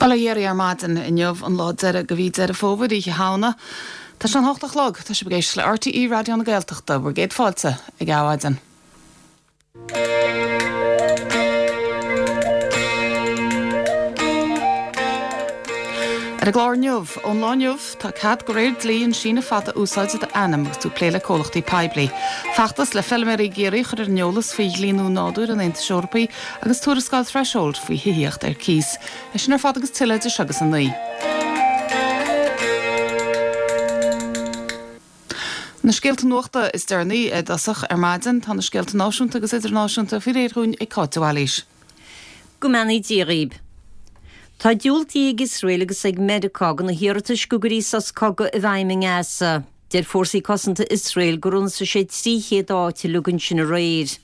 Bail ó Dhia oraibh ar maidin inniu, an lá deiridh de mhí Deireadh Fómhair, Oíche Shamhna. Tá sé an hocht a chlog. Tá sibh ag éisteacht le RTÉ Raidió na Gaeltachta, bhur gcéad fáilte ag Adhmhaidin. Ar an gclár inniu, ón lá inniu, tá cead de réir dlí an síneadh fada a úsáid i d'ainm agus tú ag plé le comhlachtaí poiblí. Feachtas le feilméaraí i gCiarraí a chur ar an eolas faoi dhlí nua nádúir an Aontais Eorpaigh agus tuarascáil Threshold faoi thithíocht ar cíos. É sin ar fad agus tuilleadh idir seo agus a 9. Na scéalta nuachta is deireanaí i dtosach ar maidin, tá na scéalta náisiúnta agus idirnáisiúnta faoi réir dhúinn ag Cáit de Bhailís. Go mbeannaí Dia dhaoib. Tá diúltaithe ag Iosrael agus ag Meiriceá do na hiarratais go gcuirfí sos cogaidh i bhfeidhm i nGaza. Deir fórsaí cosanta Iosrael gur ionsaigh sé 300 áit uilig ansin aréir.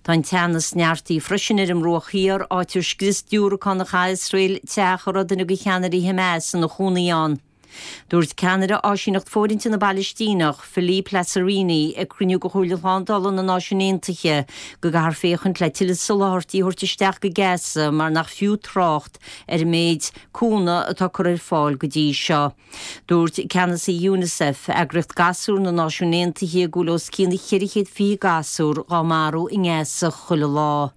Tá an teannas neartaithe freisin ar an mBruach Thiar, áit ar scrios diúracán a chaith Iosrael teach a raibh duine de cheannairí Hamas ina chónaí ann. Dúirt ceannaire Áisíneacht Fóirithinte na bPalaistíneach, Philippe Lazzarini, ag cruinniú de Chomhairle Shlándála na Náisiún Aontaithe go gcaithfear féachaint le tuilleadh soláthairtí a thabhairt isteach go Gaza mar nach fiú trácht ar an méid cúnamh atá curtha ar fáil go dtí seo. Dúirt ceannasaí Unicef, eagraíocht gasúr na Náisiún Aontaithe, go bhfuil os cionn 420 gasúr dhá marú i nGaza chuile lá.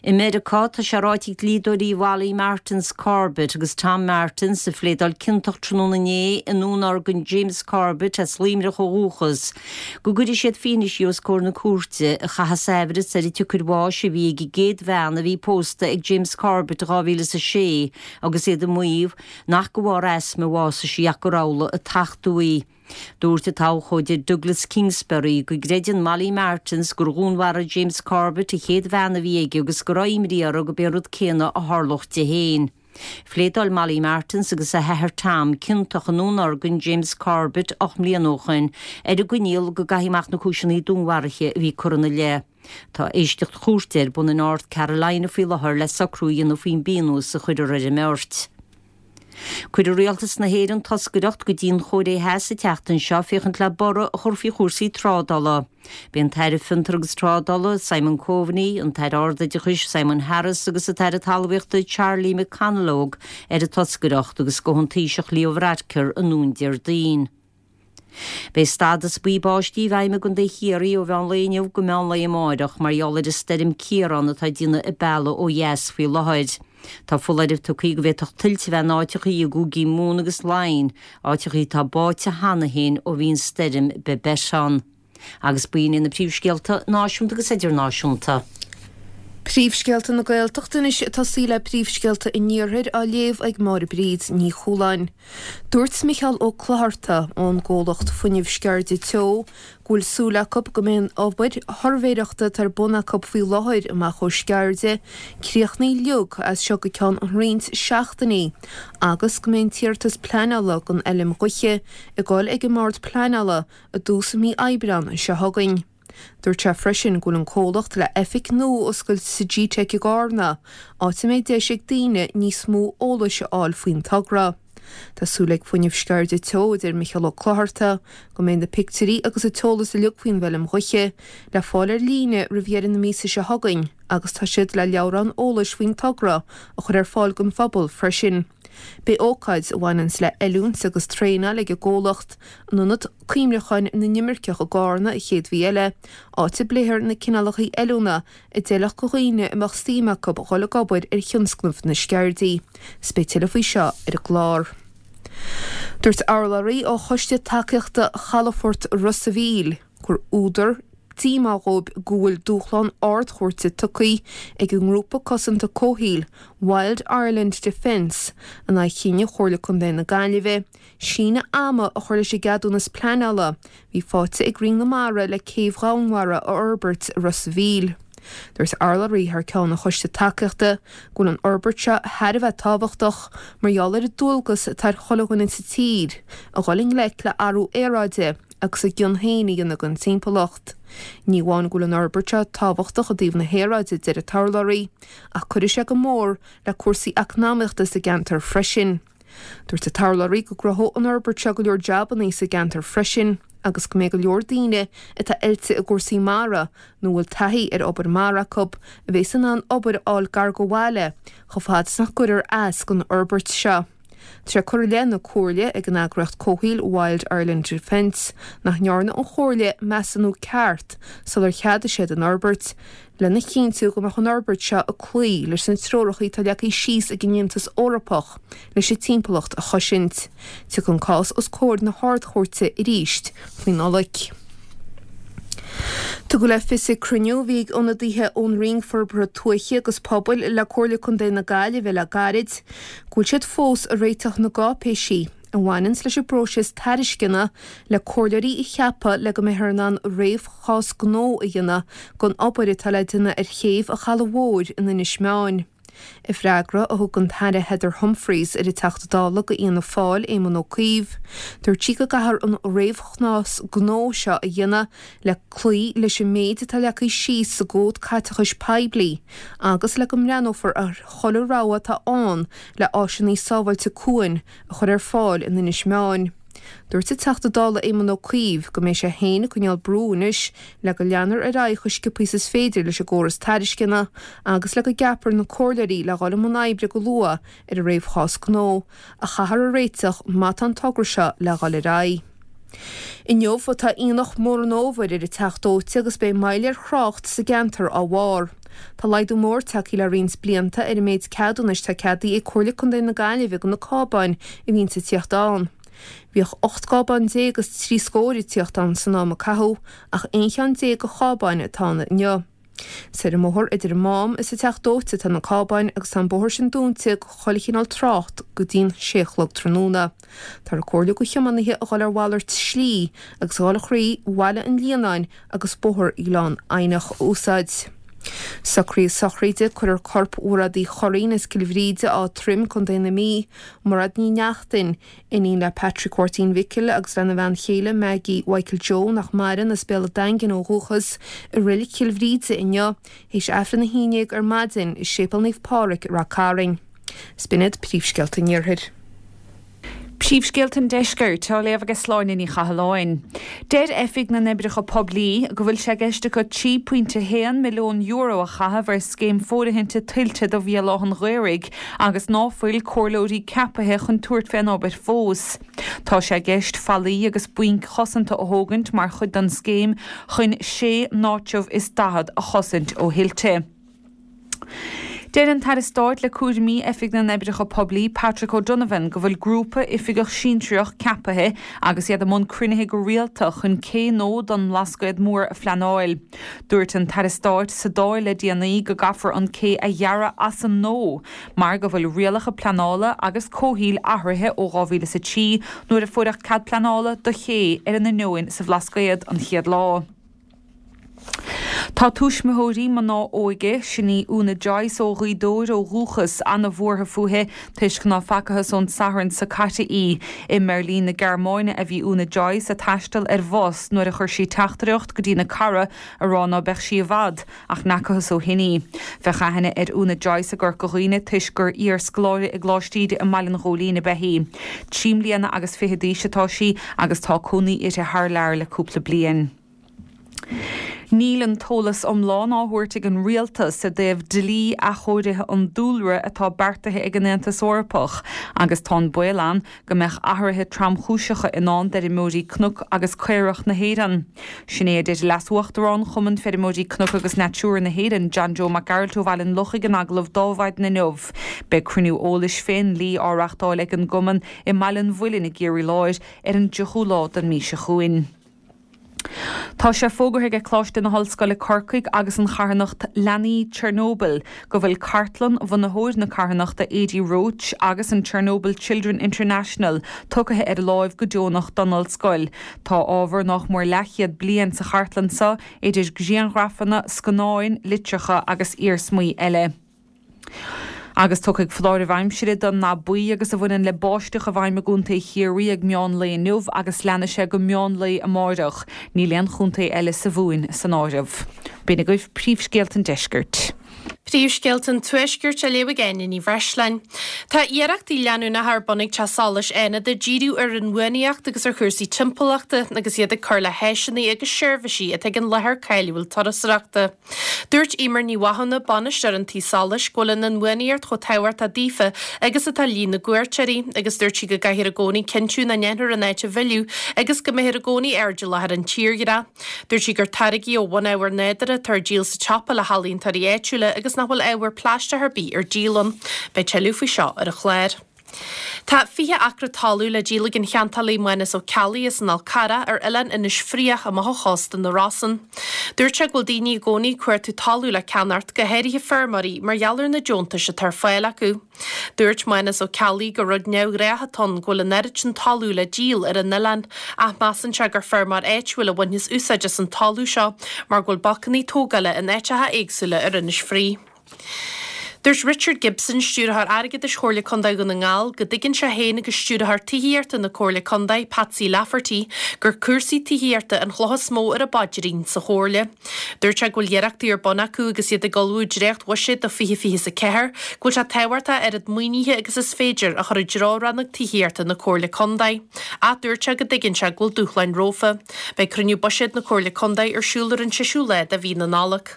I Meiriceá, tá sé ráite ag dlíodóirí Mholly Martins Corbett agus Tom Martins, a phléadáil ciontach tráthnóna inné i ndúnorgain James Corbett as Luimneach ó dhúchas, go gcuirfidh siad fianaise os comhair na cúirte a chaithfeas aimhreas ar an tsiocair bháis a bhí ag an gcéad bhean a bhí pósta ag James Corbett i 2006 agus iad ag maíomh nach de bharr asma a bhásaigh sí ach gur amhlaidh a tachtadh í. Dúirt an t-abhcóide Douglas Kingsbury go gcreideann Molly Martens gur dhúnmharaigh James Corbett an chéad bhean a bhí aige agus go raibh imní orthu gurb é an rud céanna a tharlódh di féin. Phléadáil Molly Martens agus a hathair Tom ciontach i ndúnorgain James Corbett 8 mbliana ó shoin ar an gcoinníoll go gcaithfí amach na cúiseanna dúnmharaithe a bhí curtha ina leith. Tá éisteacht chúirte ar bun i North Carolina faoi láthair le socrú a dhéanamh faoin bpionós a chuirfear ar an mbeirt. Cuirfidh Rialtas na hÉireann toscaireacht go dtí an Chóiré Theas an tseachtain seo féachaint le borradh a chur faoi chúrsaí trádála. Beidh an tAire Fiontar agus Trádála, Simon Coveney, an tAire Ardoideachais, Simon Harris agus an tAire Talmhaíochta, Charlie McConalogue ar an toscaireacht agus gabhfaidh an Taoiseach Leo Varadkar anonn Déardaoin. Beidh stádas buí báistí i bhfeidhm i gContae Chiarraí ó mheán lae inniu go meán lae amáireach mar gheall ar an stoirm Ciarán atá ag déanamh a bealaigh ó dheas faoi láthair. Tá foláireamh tugtha go bhféadfadh tuilte a bheith in áiteachaí i gcúigí Mumhan agus Laighean, áiteachaí atá báite cheana féin ó bhí an stoirm Babet ann. Agus b'in iad na príomhscéalta náisiúnta agus idirnáisiúnta. Príomhscéalta na Gaeltachta anois ag tosaí le príomhscéalta an Iarthair á léamh ag Máire Bríd Ní Chualáin. Dúirt Micheál Ó Clochartaigh ón gcomhlacht Fuinneamh Sceirde Teo go bhfuil súil acu go mbeidh an obair shuirbhéireachta atá ar bun acu faoi láthair amach ó Sceirde críochnaithe uilig as seo go ceann roinnt seachtainí agus go mbeidh an t-iarratas pleanála don fheilm ghaoithe ag dul ag an mBord Pleanála i dtús mí Aibreán seo chugainn. Dúirt sé freisin go bhfuil an comhlacht le oifig nua a oscailt sa Gteic i gCarna, áit a mbeidh deis ag daoine níos mó eolais a fháil faoin togra. Tá súil ag Fuinneamh Sceirde Teo, a deir Micheál Ó Clochartaigh, go mbeidh na pictiúirí agus an t-eolas uilig faoin bhfeilm ghaoithe le fáil ar líne roimh dheireadh na míosa seo chugainn agus tá siad le leabhrán eolais faoin togra a chur ar fáil don phobal freisin. Beidh ócáid a bhaineanns le oiliúint agus traenáil ag an gcomhlacht in Ionad Cuimhneacháin na nImirceach i gCarna an chéad mhí eile, áit a bpléifear na cineálacha oiliúna a d'fheilfeadh do dhaoine a mbeadh suim acu dhul ag obair ar thionscnamh na Sceirdí. 'S beidh tuilleadh faoi seo ar an gclár. Dúirt urlabhraí ó Choiste Tacaíochta Chalafort Ros a' Mhíl gur údar díomá dhóibh go bhfuil dúshlán Ard-Chúirte tugtha ag an ngrúpa cosanta comhshaoil Wild Ireland Defence in aghaidh chinneadh Chomhairle Contae na Gaillimhe síneadh ama a chur leis an gceadúnas pleanála a bhí faighte ag Roinn na Mara le céibh dhomhainmhara a fhorbairt i Ros a' Mhíl. Dúirt urlabhraí thar ceann an choiste tacaíochta go bhfuil an fhorbairt seo thar a bheith tábhachtach mar gheall ar an dualgas atá ar chuile dhuine sa tír a dhul i ngleic le athrú aeráide agus a gcion féin a dhéanamh don timpeallacht. Ní amháin go bhfuil an fhorbairt seo tábhachtach i dtaobh na haeráide, a deir an t-urlabhraí, ach cuirfidh sé go mór le cúrsaí eacnamaíochta sa gceantar freisin. Dúirt an t-urlabhraí go gcruthódh an fhorbairt seo go leor jabannaí sa gceantar freisin. agus go mbeidh go leor daoine atá oilte i gcúrsaí mara nó a bhfuil taithí ar obair mara acu a bheas in ann obair a fháil gar go bhaile chomh fada is nach gcuirfear as don fhorbairt seo. Tá sé curtha i leith na Comhairle ag an eagraíocht comhshaoil Wild Ireland Defence nach ndearna an Chomhairle measúnú ceart sular cheadaigh siad an fhorbairt, lena chinntiú go mbeadh an fhorbairt seo ag cloí leis na treoracha atá leagtha síos ag an Aontas Eorpach leis an timpeallacht a chosaint. Tiocfaidh an cás os comhair na hArd-Chúirte arís faoi Nollaig. Tugadh le fios ag cruinniú a bhí ag ionadaithe ón Roinn Forbartha Tuaithe agus Pobail le Comhairle Contae na Gaillimhe le gairid go bhfuil siad fós ag réiteach na gcáipéisí a bhaineanns leis an bpróiseas tairisceana le comhairleoirí a cheapadh le go mbeifear in ann réamhchás gnó a dhéanamh don obair atá le déanamh ar chéibh an Chalaidh Mhóir in Inis Meáin. I bhfreagra a thug an tAire Heather Humphreys ar an Teachta Dála do Fhianna Fáil, Éamon Ó Cuív, dúirt sí go gcaithfear an réamhchás gnó seo a dhéanamh le cloí leis an méid atá leagtha síos sa gCód Caiteachais Poiblí agus le go mbreathnófar ar chuile rogha atá ann le áiseanna sábháilte cuain a chur ar fáil in Inis Meáin. Dúirt an Teachta Dála Éamon Ó Cuív go mbeidh sé féin ag coinneáil brú anois le go leanfar ar aghaidh chomh sciobtha is is féidir leis an gcóras tairisceana agus le go gceapfar na comhairleoirí le dhul i mbun oibre go luath ar an réamhchás gnó a chaithfear a réiteach má tá an togra seo le dhul ar aghaidh. Inniu atá aonach mór an fhómhair ar an Teach Dóite agus beidh moill ar thrácht sa gceantar á bharr. Tá laghdú mór tagtha le roinnt blianta ar an méid ceadúnais atá ceadaithe ag Comhairle Contae na Gaillimhe do na cábáin a bhíonns ag tíocht ann. Bhíodh 18 gcábán agus 3 scór ag tíocht ann san am a caitheadh ach 11 cheann de chábáin atá ann inniu. Is ar an mbóthar idir an Mám is an Teach Dóite atá na cábáin agus tá an bóthar sin dúnta do chuile chineál trácht go dtí'n sé a chlog tráthnóna. Táthar ag comhairliú do thiománaithe a dhul ar mhalairt slí agus a dhul thrí Bhaile an Líonáin agus Bóthar Ghleann Eidhneach a úsáid. Socruithe sochraide, Cuirfear corp Mhairéad Uí Churraoin as Cill Bhríde, Áth Troim, Co. na Mí, Mairéad Ní Neachtain, iníon le Patrick Mháirtín Mhicil agus lena bhean chéile Maggie Mhichael Joe, nach maireann, as Béal an Daingin ó dhúchas, i Reilig Chill Bhríde inniu, théis Aifreann a haon déag ar maidin i Séipéal Naomh Pádraig, Rath Cairn. 'S b'in iad príomhscéalta an Iarthair. Príomhscéalta an Deiscirt á léamh ag Sláine Ní Chathalláin. Deir Oifig na nOibreacha Poiblí go bhfuil sé i gceist acu €3.1 milliún a chaitheamh ar scéim fóirithinte tuilte do Bhéal Átha'n Ghaorthaidh agus ná fuil comhairleoirí ceapaithe chun tabhairt fén obair fós. Tá sé i gceist fallaí agus bainc chosanta a thógaint mar chuid den scéim chun sé n-áitreabh is 40 a chosaint ó thuilte. Deir an tAire Stáit le cúraimí Oifig na nOibreacha Poiblí, Patrick O'Donovan, go bhfuil grúpa oifigeach sinsearach ceapaithe agus iad i mbun cruinnithe go rialta chun cé nua don mBlascaod Mór a phleanáil. Dúirt an tAire Stáit sa Dáil le déanaí go gcaithfear an cé a dhearadh as an nua mar go bhfuil rialacha pleanála agus comhshaoil athraithe ó 2003 nuair a fuaireadh cead pleanála do ché ar an Inneoin sa Bhlascaod an chéad lá. Tá tuismitheoirí mná óige, sin í Úna Joyce ó Ghaoth Dobhair ó dhúchas, ana-bhuartha fúithi toisc ná facathas ón Satharn so caite í. I mBeirlín na Gearmáine a bhí Úna Joyce a' taisteal ar bhus nuair a chuir sí teachtaireacht go dtína cara a rá ná beadh sí i bhfad ach n'fheacathas ó shin í. Bheadh aithne ar Úna Joyce i gCorca Dhuibhne toisc gur iar-scoláire i gColáiste Íde i mBaile an Ghóilín ab ea í. 23 mbliana d'aois atá sí agus tá cónaí uirthi thar lear le cúpla bliain. Níl an t-eolas iomlán á thabhairt ag an Rialtas i dtaobh dlí athchóirithe an dúlra atá beartaithe ag an Aontas Eorpach agus tá an baol ann go mbeadh athruithe tromchúiseacha i ndán d'fheirmeoirí cnoc agus caorach na hÉireann. Sin é a deir Leas-Uachtarán Chumann Feirmeoirí Cnoc agus Natura na hÉireann, John Joe Mac Gearailt ó Bhaile an Lochaigh in agallamh dó Adhmhaidin inniu. Beidh cruinniú eolais fén ndlí á reachtáil ag an gCumann i mBaile an Mhuilinn i gCiarraí Láir ar an dtríochú lá den mhí seo chugainn. Tá sé fógartha ag Coláiste na hOllscoile Corcaigh agus an charthanacht Leanaí Chernobyl go bhfuil cartlann bhunaitheoir na carthanachta Adi Roche agus an Chernobyl Children International tugtha ar láimh go deonach don Ollscoil. Tá ábhar nách mór leathchéad bliain sa chartlann seo idir grianghrafanna, scannáin, litreacha agus iarsmaí eile. Agus tiocfaidh foláireamh aimsire don ndath buí agus a bhaineann le báisteach i bhfeidhm i gContae Chiarraí ag meán lae inniu agus leanfaidh sé go meán lae amáireach. Níl aon chontae eile sa Mhumhain san áireamh. B'in agaibh príomhscéalta an deiscirt. Príomhscéalta an Tuaiscirt á léamh ag Áine Ní Bhreisleáin. Tá iarrachtaí leanúnacha ar bun ag Teach Solais Fhánada díriú ar inbhuanaitheacht agus ar chúrsaí timpeallachta agus iad ag cur le háiseanna agus seirbhísí atá ag an láthair cáiliúil turasóireachta. Dúirt Eimear Ní Mhathúna, bainisteoir an tí solais, go bhfuil an inbhuanaitheacht chomh tábhachtach daofa agus atá líon na gcuairteoirí agus dúirt sí go gcaithfear i gcónaí cinntiú nach ndéanfar an áit a mhilleadh agus go mbeifear i gcónaí airdeallach ar an tírdhreach. Dúirt sí gur táirgí ó bhunábhar nádúrtha atá ar díol sa tsiopa le healaíontóirí áitiúla agus nach bhfuil ábhar plaisteach ar bith ar díol ann. Beidh tuilleadh faoi seo ar an chlár. Tá 20 acra talaimh le díol ag an cheantálaí Mánas Ó Ceallaigh as an Fhál Carrach ar oileán Inis Fraoich amach ó chósta na Rosann. Dúirt sé go bhfuil daoine i gcónaí ag cuartú talamh le ceannacht, go háirithe feirmeoirí, mar gheall ar na deontais atá ar fáil acu. Dúirt Mánas Ó Ceallaigh gur rud neamhghnách atá ann go bhfuil an oiread sin talamh le díol ar an oileán ach measann sé gur feirmeoir áitiúil a bhainfeas úsáid as an talamh seo mar go bhfuil bacannaí tógála in áiteacha éagsúla ar Inis Fraoich. Dúirt Richard Gibson, Stiúrthóir Airgeadais Chomhairle Contae Dhún na nGall, go dtuigeann sé féin agus Stiúrthóir Tithíochta na Comhairle Contae, Patsy Lafferty, gur cúrsaí tithíochta an chloch is mó ar a bpaidrín sa Chomhairle. Dúirt sé go bhfuil iarrachtaí ar bun acu agus iad ag ullmhú dréacht-bhuiséad do 2024, go bhfuil sé tábhachtach oiread maoinithe agus is féidir a chur i dtreo rannóg tithíochta na Comhairle Contae. Ach dúirt sé go dtuigeann sé go bhfuil dúshláin rompu. Beidh cruinniú buiséid na Comhairle Contae ar siúl ar an seisiú lá de mhí na Nollag.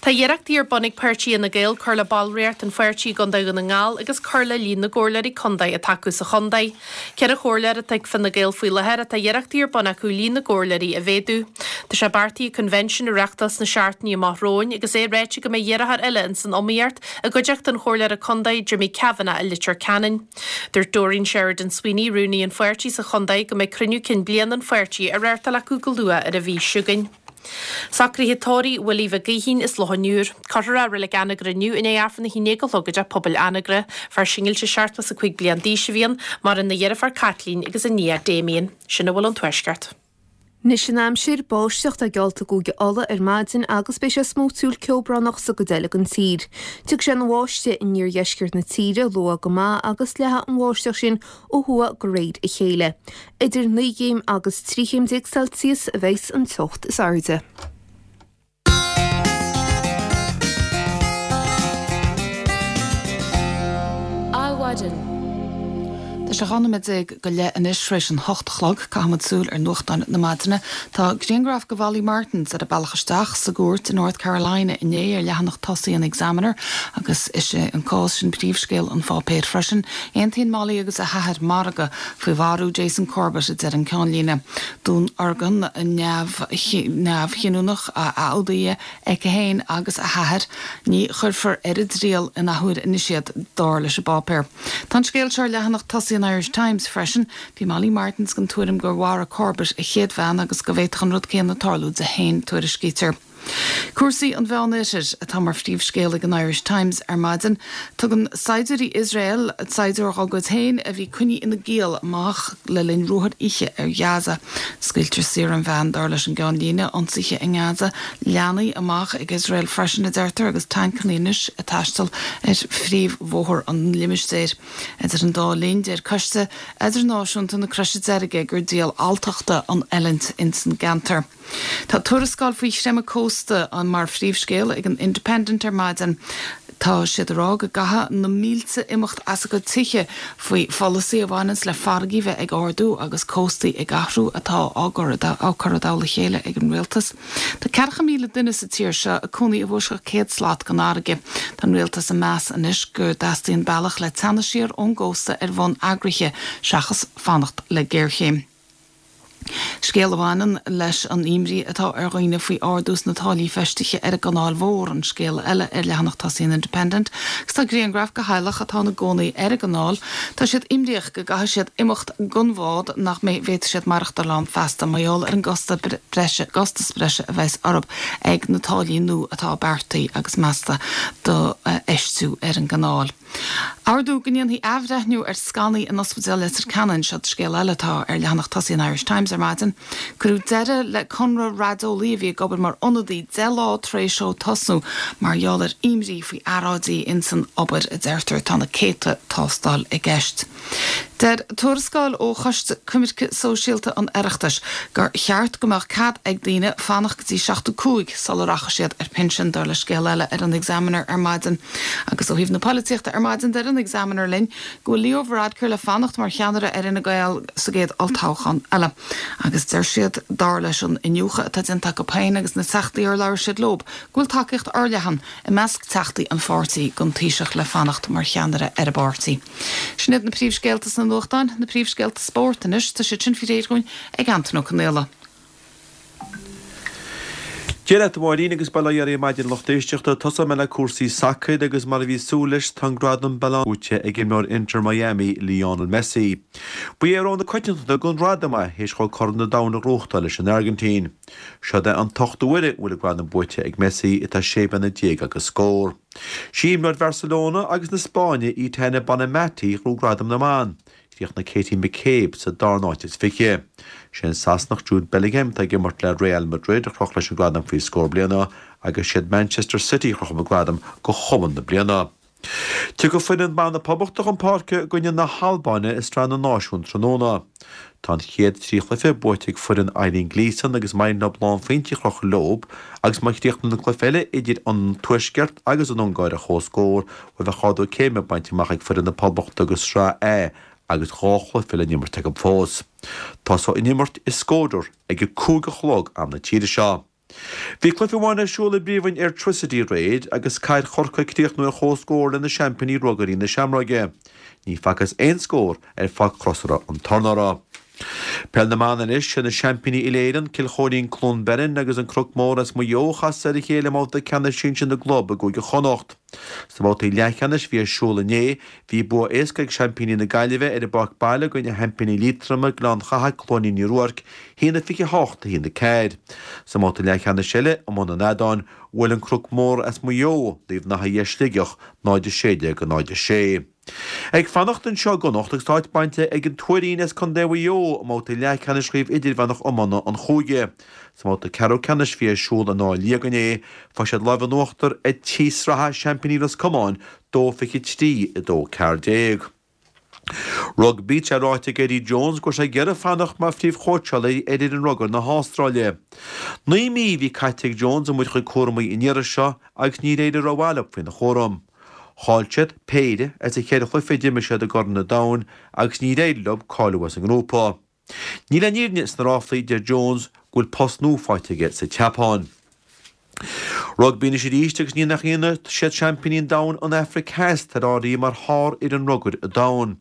Tá iarrachtaí ar bun ag páirtí Fhine Gael cur le ballraíocht an pháirtí i gContae Dhún na nGall agus cur le líon na gcomhairleoirí contae atá acu sa chontae. Ceithre chomhairleoir atá ag Fine Gael faoi láthair ach tá iarrachtaí ar bun acu líon na gcomhairleoirí a mhéadú. Tá sé beartaithe convention a reachtáil sna seachtainí amach romhainn agus é ráite go mbeidh iarrthóir eile ins an iomaíocht i gcuideachta an chomhairleora contae Jimmy Kavanagh i Leitir Ceanainn. Dúirt Doreen Sheridan Sweeney, rúnaí an pháirtí sa chontae, go mbeidh cruinniú cinn bliana an pháirtí á reáchtáil acu go luath ar an mhí seo chugainn. Socruithe tórraimh Willie Mhic Gaoithín as Loch an Iúir. Cuirfear é i Reilig Anagaire inniu i ndiaidh Aifreann 11 a chlog i dTeach Pobail Anagaire. Fear singilte 75 bliain d'aois a bhí ann, maireann a dheirfiúr Caitlín agus a nia Damien. Sin a bhfuil ón Tuaisceart. Anois an aimsir, báisteach atá geallta i gCúige Uladh ar maidin agus beidh sé smúitiúil ceobhránach sa gcuid eile den tír. Tiocfaidh sé ina bháisteach in iardheisceart na tíre luath go maith agus leathfaidh an bháisteach sin ó thuaidh de réir a chéile. Idir 9 gcéim agus 13 chéim Celsius a bheas an teocht is airde. Adhmhaidin. Tá sé 12 nóiméad go leith anois tar éis an hocht a chlog. Caithfimid súil ar nuachtáin na maidine. Tá grianghraf de Mholly Martins ar a bealach isteach sa gcúirt i North Carolina inné ar leathanach tosaigh an Examiner agus is é an cás sin príomhscéal an pháipéir freisin. Aontaíonn Molly agus a hathair margadh faoi mharú Jason Corbett, a deir an ceannlíne. Dúnorgain neamhchinniúnach a fhuadaíodh aici féin agus a hathair. Ní chuirfear ar a dtriail in athuair anois iad, dar leis an bpáipéar. Tá an scéal seo ar leathanach tosaigh an Irish Times freisin. Bhí Molly Martins den tuairim gur mharaigh Corbett a chéad bhean agus go bhféadfadh an rud céanna tarlú di féin, tuairiscítear. Cúrsaí an Mheánoirthir atá mar phríomhscéal ag an Irish Times ar maidin. Tugann saighdiúirí Iosrael saighdiúir dá gcuid féin a bhí coinnithe ina giall amach le linn ruathair oíche ar Ghaza. Scaoiltear saor an bhean, dar leis an gceannlíne. Ionsaithe i nGaza leantaí amach ag Iosrael freisin, a deirtear, agus tancanna anois ag taisteal ar phríomhbhóthar an limistéir. Idir an dá linn, deir Coiste Eadarnáisiúnta na Croise Deirge gur díol alltachta an fhulaingt ins an gceantar. Tá tuarascáil faoi chreimeadh cósta mar phríomhscéal ag an Independent ar maidin. Tá siad ag rá go gcaithfidh na mílte imeacht as a gcuid tithe faoi pholasaí a bhaineanns le farraigí bheith ag ardú agus cóstaí ag athrú atá á gcur á cur i dtoll a chéile ag an rialtas. Tá 40,000 duine sa tír seo ag cónaí i bhfoisceacht 100 slat den fharraige. Tá an rialtas ag meas anois go dteastaíonn bealach le teannadh siar ón gcósta ar bhonn eagraithe seachas fanacht le géarchéim. Scéal a bhaineann leis an imní atá ar dhaoine faoi ardú sna táillí feistithe ar an gCanáil Mhór an scéal eile ar leathanach tosaigh an Independent agus tá grianghraf de theaghlach atá ina gcónaí ar an gcanáil. Tá siad imníoch go gcaithfidh siad imeacht den bhád nach mbeidh bhféadfaidh siad maireachtáil ann feasta mar gheall ar an gcosta breise gcostas breise a bheas orthu ag na táillí nua atá beartaithe agus measta do fheistiú ar an gcanáil. Ordú go ndéanfaí athbhreithniú ar scannaí in Ospidéal Leitir Ceanainn, seo scéal eile atá ar leathanach tosaigh an Irish Times ar maidin. Cuireadh deireadh le conradh raideolaí a bhí ag obair mar ionadaí 10 lá tar éis dó tosnú mar gheall ar imní faoi earráidí ins an obair, a deirtear. Tá na céadta tástáil i gceist. Deir tuarascáil ó Choiste Coimirce Sóisialta an Oireachtais gur cheart go mbeadh cead ag daoine fanacht go dtí 75 sula rachadh siad ar pinsean, dar le scéal eile ar an Examiner ar maidin. Agus ó thaobh na polaitíochta ar maidin, deir an Examiner linn go bhfuil Leo Varadkar le fanacht mar cheannaire ar Fhine Gael sa gcéad olltoghchán eile. Agus deir siad, dar leis an iniúchadh atá déanta acu féin agus na teachtaí ar labhair siad leo, go bhfuil tacaíocht fhorleathan i measc teachtaí an pháirtí don Taoiseach le fanacht mar cheannaire ar an bpáirtí. Sin iad na príomhscéalta sna nuachtáin, na príomhscéalta spóirt anois, tá siad sin faoi réir dhúinn ag Antain Ó Conaola. Dia leat a Mháirín agus bail ó Dhia oraibh ar maidin a lucht éisteachta. Tosóidh mé le cúrsaí sacair agus mar a bhí súil leis tá an gradam Ballon buaite ag imreoir Inter Miami, Lionel Messi. Ba é rogha na coitiantachta don ghradam é théis dhó Corn an Domhain a ghnóthachtáil leis an Airgintín. Seod é an t-ochtú uair a bhfuil an gradam buaite ag Messi atá sé bliana déag agus scór. Sí imreoir Bharcelona agus na Spáinne Aitana Bonmatí a ghnóthaigh gradam na mban. Chríochnaigh Katie McCabe sa darna háit is 20. Sé an Sasanach Jude Bellingham atá ag imirt le Real Madrid a chroch leis an gradam faoi scór bliana agus siad Manchester City a chroch an gradam do chumann na bliana. Tiocfaidh foireann ban na Poblachta chun páirce i gcoinne na hAlbáine i Sraith na Náisiún tráthnóna. Tá an chéad 3 chluiche buaite ag foireann Eileen Gleeson agus maith leo lánphointí a chrochadh leo agus má chríochnaíonn an cluiche eile idir an Tuaisceart agus an Ungáir ar comhscór, bhuel bheadh ardú céime bainte amach ag foireann na Poblachta go Sraith A agus 2 chluiche le n-imirt acu fós. Tosóidh an imirt i Shkodër ag a 5 a chlog am na tíre seo. Bhí cluiche amháin ar siúl i bpríomhroinn Airtricity aréir agus Cathair Chorcaí ag críochnú ar chomhscór le na seaimpíní Ruagairí na Seamróige. Ní facthas aon scór ar Pháirc Chrosaire an Tornóra. Peil na mBan anois, sé na seaimpíní uile-Éireann, Cill Chóilín Cluain Bheirn agus an Cnoc Mór as Maigh Eo a chas ar a chéile i mbabhta ceannais sinsir na gclub i gCúige Chonnacht. Sna babhtaí leathcheannais a bhí ar siúl inné, bhí bua éasca ag seaimpíní na Gaillimhe ar a bpáirc baile i gcoinne sheaimpíní Liatroma, Gleann Chatha, Cluainín Uí Ruairc, 1-28, 1-4. Sa mbabhta leathcheannais eile, i mbun an fheadáin, bhuail an Cnoc Mór as Maigh Eo, Naomh Natha Sligeach, 0-16, 0-6. Ag fanacht anseo i gConnacht agus tá áit bainte ag an Tuairín as Contae Mhaigh Eo i mbabhta leathcheannais Chraobh Idirmheánach Iomána an Chúige. Sa mbabhta ceathrú ceannais a bhí ar siúl in Áth Liag inné, fuair siad lámh in uachtar ar tí sraithe seaimpíní Ros Comáin, 2-23, 2-14. Rugbaí, Tá sé ráite ag Eddie Jones go bhfuil sé ag iarraidh fanacht mar phríomhchóitseálaí ar fhoireann rugair na hAstráile. 9 mí a bhí caite ag Jones i mbun a chuid cúramaí an iarraidh seo agus níor éirigh rómhaith leo faoina chúram. Chaill siad péire as an cheithre chluiche a d'imir siad i gCorn an Domhain agus níor éirigh leo cáiliú as an ngrúpa. Níl aon fhírinne sna ráflaí, deir Jones, go bhfuil post nua faighte aige sa tSeapáin. Rugbaí anois arís agus ní nach ionadh siad seaimpíní an domhain an Afraic Theas atá ar áireamh mar shárfhoireann rugair an domhain.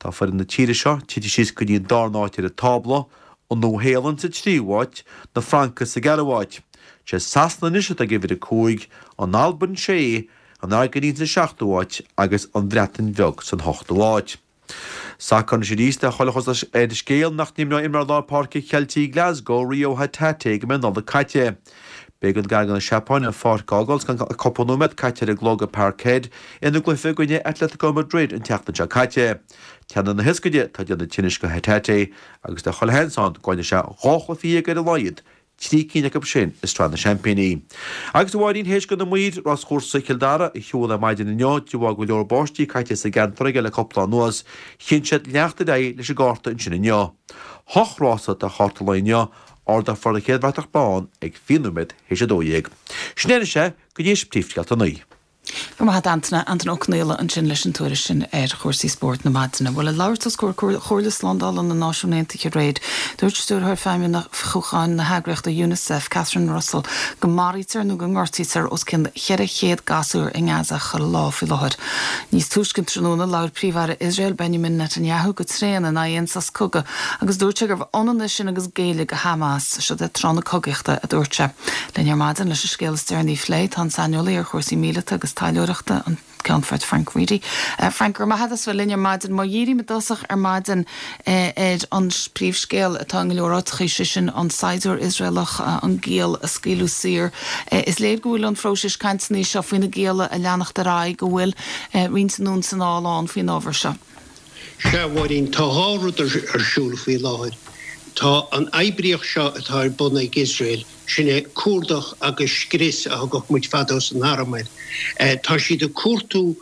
Tá foireann na tíre seo tite síos go dtí an darna háit ar an tábla, an Nua-Shéalainn sa tríú háit, na Francaigh sa gceathrú háit. Sé Sasana anois atá ag uimhir 5, an Albain 6, an Airgintín sa seachtú háit agus an Bhreatain Bheag san hochtú háit. Sacar anois arís tá chuile chosúlacht ar an scéal nach n-imreoidh imreoir lár páirce Cheiltigh Glasgow, Reo Hatate, go mbeidh an Nollaig caite. B'éigean d'fhoireann na Seapáine an pháirc a fhágáil gan ach cúpla nóiméad caite ar an gclog i Parkhead ina gcluiche i gcoinne Atletico Madrid an tseachtain seo caite. Teannán na hioscaide atá ag déanamh tinnis do Hatate agus tá chuile sheans ann go gcaillfidh sé 12 chluiche ar a laghad 3 cinn acu sin i Sraith na Seaimpíní. Agus a Mháirín, théis do na maoir ráschúrsa Chill Dara a shiúl ar maidin inniu, de bharr go leor báistí caite sa gceantar aige le cúpla lá anuas, chinn siad leanacht ar aghaidh leis an gcárta ansin inniu. Hocht rása atá ar chárta an lae inniu, ardófar an chéad bhratach bán ag 20 nóiméad théis 12. Sin é anois é, go dtí príomhscéalta a naoi. Go raibh maith agat Antaine. Antaine Ó Conaola ansin leis an tuairisc sin ar chúrsaí spóirt na maidine. Bhuel, ag labhairt os comhair Chomhairle Slándála na Náisiún Aontaithe aréir, dúirt Stiúrthóir Feidhmiúcháin na heagraíochta Unicef, Catherine Russell, go maraítear nó go ngortaítear os cionn 400 gasúr i nGaza chuile lá faoi láthair. Níos túisce an tráthnóna, labhair Príomh-Aire Iosrael, Benjamin Netanyahu, go tréan in aghaidh aon sos cogaidh agus dúirt sé gurbh ionann é sin agus géilleadh do Hamas. Seod é tráth na cogaíochta, a dúirt sé. Linn ar maidin leis an scéal is deireanaí a phlé, tá an saineolaí ar chúrsaí míleata agus taidhleoireachta, an Ceannfort Frank Reidy. Frank, go raibh maith agat as bheith linn ar maidin. Má dhírím i dtosach ar maidin ar an bpríomhscéal atá i go leor áiteachaí, sé sin an saighdiúir Iosraelach, an giall a scaoileadh saor. Is léir go bhfuil an phróiseas cainteanna seo faoi na gialla a leanacht ar aghaidh, go bhfuil roinnt anonn 's anall ann faoin ábhar seo. Sea, a Mháirín, tá dhá rud ar siúl faoi láthair. Tá an oibríocht seo atá ar bun ag Iosrael, sin é cuardach agus scrios a thugadh muid fadó san arm air. Tá siad ag cuartú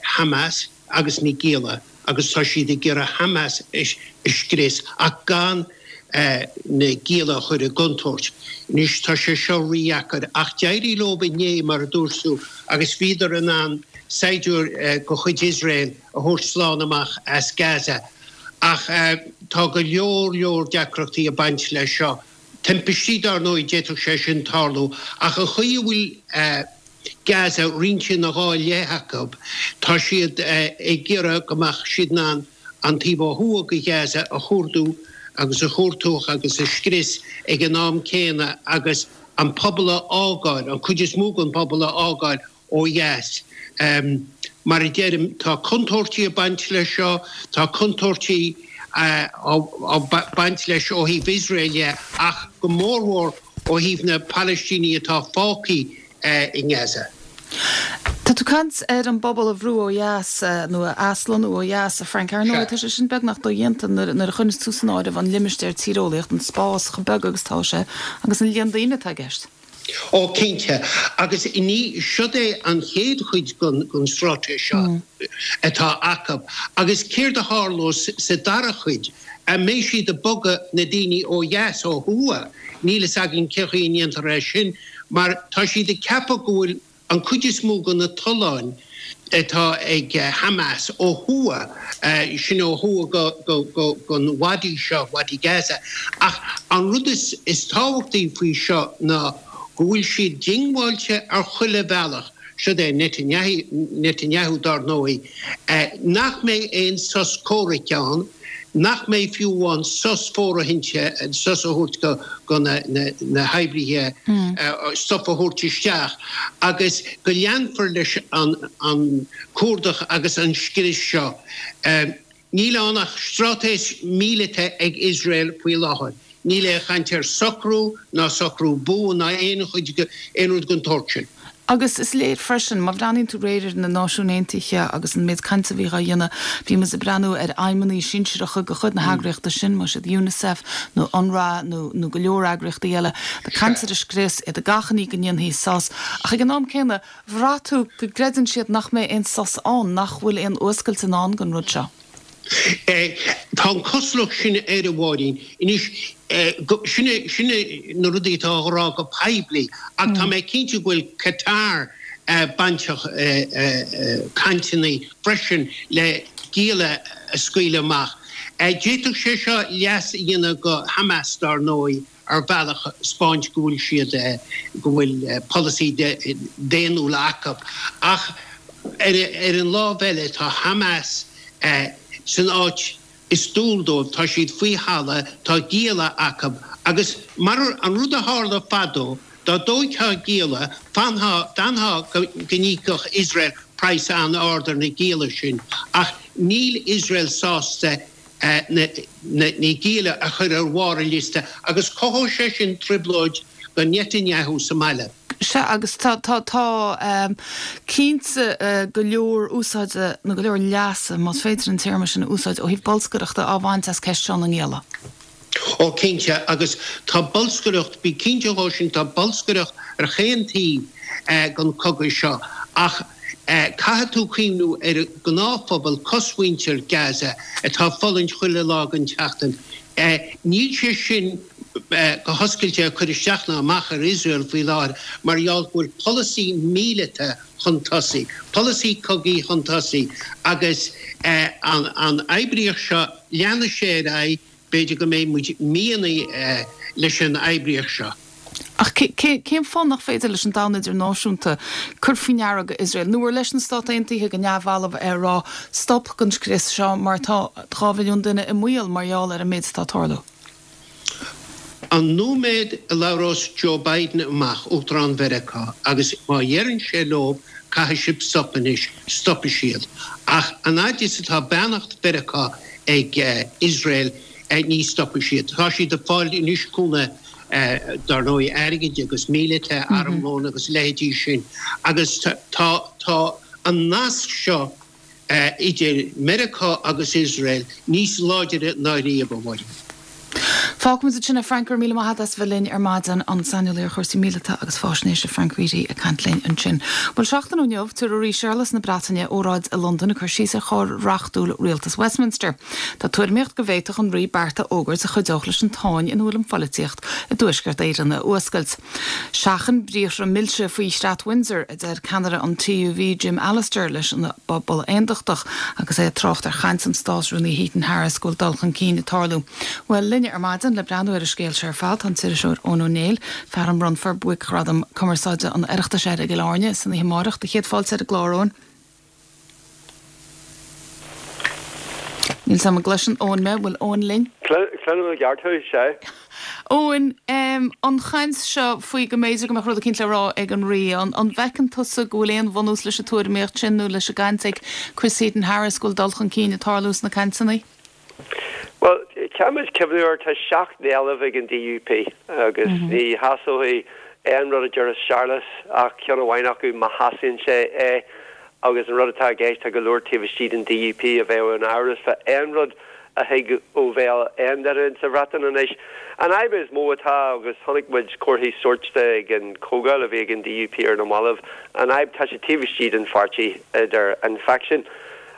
Hamas agus na gialla. agus tá siad ag iarraidh Hamas a scrios ach gan na gialla a chur i gcontúirt. Anois tá sé seo rídheacair ach d'éirigh leo inné mar a dúirt tú agus bhíodar in ann saighdiúir de chuid Iosrael a thabhairt slán amach as Gaza. Ach tá go leor leor deacrachtaí ag baint leis seo. Timpistí, dar ndóigh, d'fhéadfadh sé sin tarlú, ach an chaoi a bhfuil Gaza roinnte ina dhá leith acu, tá siad ag iarraidh go mbeadh siad in ann an taobh ó thuaidh de Ghaza a chuardú agus a chuartúch agus a scrios ag an am céanna agus an pobal a fhágáil, an chuid is mó den phobal a fhágáil ó dheas. Mar a deirim, tá contúirtí ag baint leis seo, tá contúirtí ag baint leis ó thaobh Iosrael dhe ach go mórmhór ó thaobh na Palaistínigh atá fágtha i nGaza. Tá tú ag caint ar an bpobal a bhrú ó dheas, nó a aslonnú ó dheas, a Frank. Ar ndóigh, tá sé sin beagnach dodhéanta nuair a chuireanns tú san áireamh an limistéar tíreolaíocht, an spás chomh beag agus atá sé, agus an líon daoine atá i gceist. Ó, cinnte. Agus ní, siod é an chéad chuid den straitéis seo atá acu. Agus céard a tharlós sa dara cuid? An mbeidh siad ag bogadh na daoine ó dheas, ó thuaidh? Níl fhios againn cén chaoi a ndéanfar é sin, mar tá siad ag ceapadh go bhfuil An chuid is mó de na tolláin atá ag Hamas ó thuaidh, sin ó thuaidh den wadi seo, Wadi Gaza. Ach an rud is tábhachtaí faoi seo ná go bhfuil siad diongbháilte ar chuile bhealach, siod é Netanyahu dar ndóigh, nach mbeidh aon sos comhraic ann, nach mbeidh fiú amháin sos fóirithinte, sos a thabhairt do na hoibrithe, stuif a thabhairt isteach agus go leanfar leis an cuardach agus an scrios seo. Níl ann ach straitéis míleata ag Iosrael faoi láthair. Níl aon chaint ar socrú ná socrú buan ná aon chuid, aon rud den tsórt sin. Agus is léir freisin, má bhreathnaíonn tú aréir ar na Náisiúin Aontaithe agus an méid cainte a bhí dhá dhéanamh, bhí muid ag breathnú ar fheidhmeannaigh sinsearacha de chuid na heagraíochta sin, más iad Unicef nó UNRWA nó nó go leor eagraíochtaí eile, ag caint ar an scrios, iad ag achainí go ndéanfaí sos. Ach ag an am céanna, bhraith tú go gcreideann siad nach mbeidh aon sos ann, nach bhfuil aon fhuascailt i ndán don rud seo. Tá an chosúlacht sin air, a Mháirín. Anois, sin é, sin é na rudaí atá á rá go poiblí, ach tá mé cinnte go bhfuil Qatar bainteach i gcainteanna freisin le gialla a scaoileadh amach. D'fhéadfadh sé seo leas a dhéanamh go Hamas, dar ndóigh. ar bhealach 'spáint go bhfuil siad, go bhfuil polasaí daonnúil acu. Ach ar an lámh eile tá Hamas san áit is dual dóibh, tá siad faoi thalamh, tá gialla acu agus mar an rud a tharla fadó, dá dtóigtheá gialla, fanfá, d'fhanfá go n-íocfadh Iosrael praghas an-ard ar na gialla sin. Ach níl Iosrael sásta na gialla a chur ar bharr an liosta agus cothóidh sé sin trioblóid do Netanyahu sa mbaile. Sea, agus tá, tá, tá cinnte go leor úsáide, nó go leor leasa, más féidir an téarma sin a úsáid, ó thaobh bolscaireachta á bhaint as ceist seo na ngialla. Ó, cinnte, agus tá bolscaireacht, bí cinnte dhó sin, tá bolscaireacht ar chaon taobh den chogadh seo, ach caithfidh tú cuimhniú ar an ngnáthphobal, cosmhuintir Gaza, atá ag fulaingt chuile lá den tseachtain. Níl sé sin go hoscailte ag cur isteach ná amach ar Iosrael faoi láthair mar gheall go bhfuil polasaí míleata chun tosaigh, polasaí cogaidh chun tosaigh agus an oibríocht seo, leanfaidh sé ar aghaidh. B'fhéidir go mbeidh muid míonna leis an oibríocht seo. Ach cén fáth nach féidir leis an domhan idirnáisiúnta cur faoi ndeara go Iosrael, nó ar leis na Stát Aontaithe go neamhbhalbh é a rá stop den scrios seo mar tá 2 mhilliún duine i mbaol mar gheall ar an méid atá ag tarlú? An nóiméad a labhrós Joe Biden amach, Uachtarán Mheiriceá, agus má dheireann sé leo caithfidh sibh stop anois, stopfaidh siad. Ach an fhaid is atá beannacht Mheiriceá ag Iosrael, ní stopfaidh siad. Tá siad ag fáil anois cúnamh, dar ndóigh, airgid agus míleata, armlón agus a leithéidí sin. Agus tá tá an nasc seo idir Meiriceá agus Iosrael níos láidire ná riamh, a Mháirín. Fágfaimid ansin é Frank, go raibh míle maith agat as bheith linn ar maidin, an saineolaí ar chúrsaí míleata agus fáisnéise Frank Reidy ag caint linn ansin. Bhuel seachtain ó inniu, tabharfaidh Rí Séarlas na Breataine óráid i Londain ag cur síos ar chóir reachtúil rialtas Westminster. Tá tuairimíocht go bhféadfadh an Rí beart a fhógairt a chuideodh leis an tsáinn ina bhfuil an pholaitíocht i dTuaisceart Éireann a fhuascailt. Seachain briathra milse faoi Chreat Windsor, a deir ceannaire an TUV Jim Allister leis an bpobal aondachtach agus é ag trácht ar chaint an Státrúnaí Heaton Harris go bhfuil dul chun cinn ag tarlú. Bhuel, linne ar maidin le breathnú ar an scéal seo ar fad tá an t-iriseoir Eoin Ó Néill, fear a mbronnfar Buaicghradam Cumarsáide an Oireachtais air i gCill Airne san oíche amárach. Do chéad fáilte ar an gclár, Eoin. Níl 's a'm an gcloiseann Eoin mé, bhfuil Eoin linn? Cluinim i gceart thú, sea. Eoin, an chaint seo faoi go mb'fhéidir go mbeadh rud eicínt le rá ag an Rí, an bhfeiceann tusa go bhfuil aon bhunús leis an tuairimíocht sin nó leis an gcaint ag Chris Heaton-Harris go bhfuil dul chun cinn ag tarlú sna cainteanna? Bhuel, caithfidh muid cuimhniú air, tá 7 n-éileamh ag an DUP agus ní shásóidh aon rud a déarfas Séarlas ach ceann amháin acu má shásaíonn sé é agus an rud atá i gceist, tá go leor taobh istigh den DUP a bheadh in amhras fá aon rud a thig ó bhéal aon duine insa Bhreatain anois. An fhadhb is mó atá, agus chonaic muid comharthaí sóirt de ag an chomhdháil a bhí ag an DUP ar na mallaibh, an fhadhb, tá sé taobh istigh den pháirtí idir an faicsean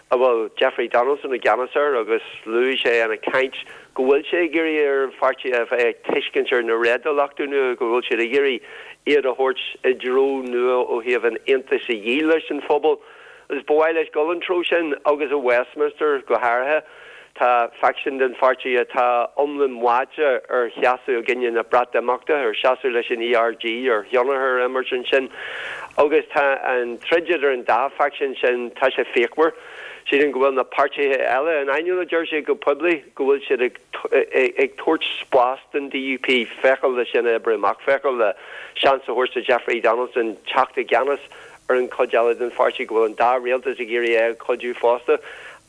a bhfuil Jeffrey Donaldson i gceannas air agus luaigh sé ina chaint go bhfuil sé ag iarraidh ar an pháirtí a bheith ag tuiscint ar na réadúlachtaí nua, go bhfuil siad ag iarraidh iad a thabhairt i dtreo nua ó thaobh an Aontais a dhíol leis an phobal. Agus ba mhaith leis dul an treo sin agus i Westminster go háirithe tá faicsean den pháirtí atá iomlán báite ar sheasamh i gcoinne na Breatimeachta, ar seasamh leis an ERG, ar thionchar a imirt ansin. Agus tá an troid idir an dá faicsean sin, tá sé fíochmhar. Sílim go bhfuil na páirtithe eile, in ainneoin a deir siad go poiblí, go bhfuil siad ag ag tabhairt spás don DUP féacháil le sin a oibriú amach, féacháil le seans a thabhairt do Jeffrey Donaldson teacht i gceannas ar an chuid eile den pháirtí, go bhfuil an dá rialtas ag iarraidh é a chuidiú fosta.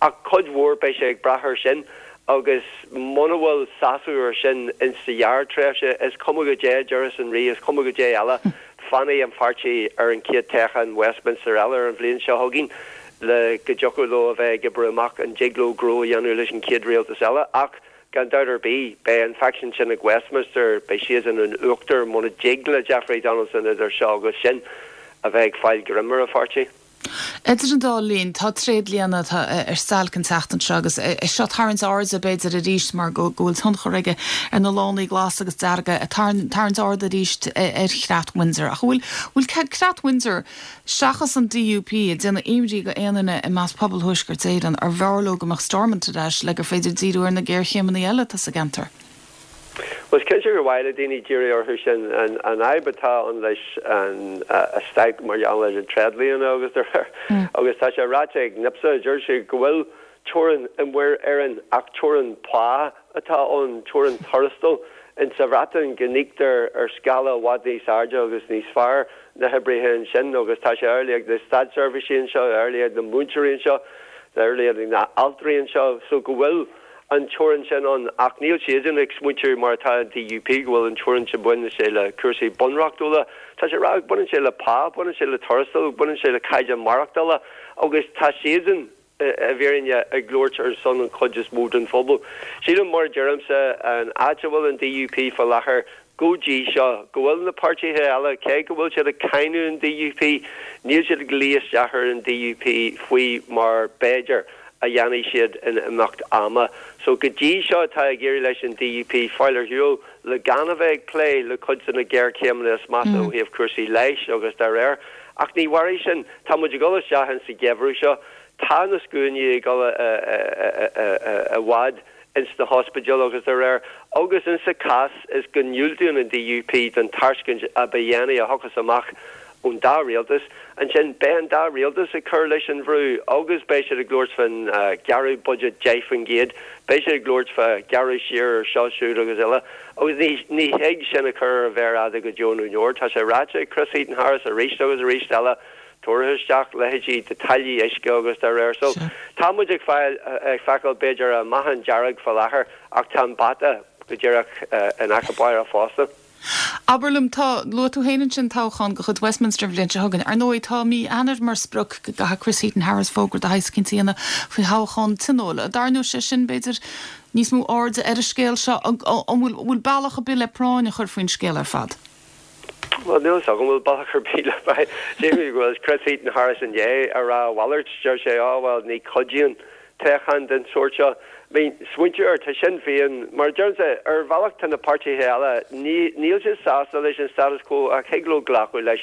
Ach cuid mhór beidh sé ag brath ar sin agus muna bhfuil sásamh ar sin insa ghearrtréimhse, is cuma goidé a déarfas an Rí, is cuma goidé eile, fanfaidh an pháirtí ar an chéad toghchán Westminster eile ar an bhliain seo chugainn le go dtiocfadh leo a bheith ag oibriú amach an dtig leo gnó a dhéanamh leis an chéad rialtas eile. Ach gan dabht ar bith, beidh an faicsean sin ag Westminster, beidh siadsan in uachtar muna dtig le Jeffrey Donaldson idir seo agus sin a bheith ag fáil greim ar an pháirtí. Idir an dá linn, tá tréidlianna ar stailc an tseachtain seo agus é seo ag tarraingt airde, b'fhéidir, arís mar go bhfuil tionchar aige ar na lánaí glasa agus dearga, ag tarraingt airde arís ar Chreat Windsor. Ach an bhfuil Creat Windsor, seachas an DUP, ag déanamh imní go aon duine i measc pobal Thuaisceart Éireann, arbh fhearr leo go mbeadh Stormont ar ais le gur féidir díriú ar na géarchéimeanna eile atá sa gceantar? Bhuel, is cinnte gur mhaith le daoine díriú orthu sin. An fhadhb atá ann leis an stailc mar gheall ar an tréidlianna agus dá réir, agus tá sé ráite ag NIPSA, deir siad go bhfuil teorainn i Muir Éireann ach teorainn pá atá ann, teorainn tuarastail in sa Bhreatain go n-íoctar ar scála i bhfad níos airde agus níos fearr na hoibrithe ansin agus tá sé amhlaidh ag na státseirbhísigh anseo, amhlaidh ag na múinteoirí anseo, amhlaidh ag na altraí anseo so go bhfuil an teorainn sin ann ach níl siadsan ag smaointiú mar atá an DUP go bhfuil an teorainn sin baineann sé le cúrsaí bunreachtúla. Tá sé ag rá baineann sé le pá, baineann sé le tuarastal, baineann sé le caighdeán maireachtála agus tá siadsan i bhfírinne ag labhairt ar son an chuid is mó den phobal. Sílim mar a deirimse an áit a bhfuil an DUP fá láthair go dtí seo, go bhfuil na páirtithe eile, cé go bhfuil siad ag cáineadh an DUP, níl siad ag luí isteach ar an DUP faoi mar b'fhéidir a dhéanfaidh siad in imeacht ama. So go dtí seo tá ag éirí leis an DUP fáil ar shiúl le gan a bheith ag plé le cuid de na géarchéimeanna is measa ó thaobh cúrsaí leighis agus dá réir. Ach ní mhairfidh sin. Tá muid ag dul isteach insa gheimhreadh seo. Tá na scuainí ag dul i bhfad. ins na hospidéil agus dá réir, agus insa chás is go ndiúltaíonn an DUP don tairscint a ba dhéanaí a thiocfas amach ón dá rialtas, ansin beidh an dá rialtas ag cur leis an bhrú agus beidh siad ag labhairt fán ghearradh budget 10%, beidh siad ag labhairt fá ghearradh siar ar seo, siúd agus eile agus ní ní thig sin a chur ar an mhéar fhada go deo nó neoir. Tá sé ráite ag Chris Heaton-Harris arís agus arís eile tabhartha isteach, leithéidí de táillí uisce agus dá réir. So, tá muid ag fáil, ag feiceáil b'fhéidir an meáchan dearg fá láthair ach tá an bata go díreach in aice báire fosta. Abair liom, tá, luaigh tú féin ansin toghchán de chuid Westminster an bhliain seo chugainn. Ar ndóigh, tá mí Eanáir mar sprioc go gcaithfidh Chris Heaton-Harris fógra de shaghas eicínt a dhéanamh faoi thoghchán tionóil. An dtarraingeodh sé sin, b'fhéidir, níos mó airde ar an scéal seo? An bhfuil bealach ar bith le práinn a chur faoin scéal ar fad? Bhuel, níl a fhios agam an bhfuil bealach ar bith le práinn. Sílim go bhfuil Chris Heaton-Harris i ndiaidh a rá a mhalairt. Deir sé, Á, bhuel, ní chuidíonn toghchán den sórt seo. I mean, smaointiú air, tá Sinn Féin, mar a deirimse, ar bhealach tá na páirtithe eile, ní, níl siad sásta leis an status quo ach thig leo glacadh leis.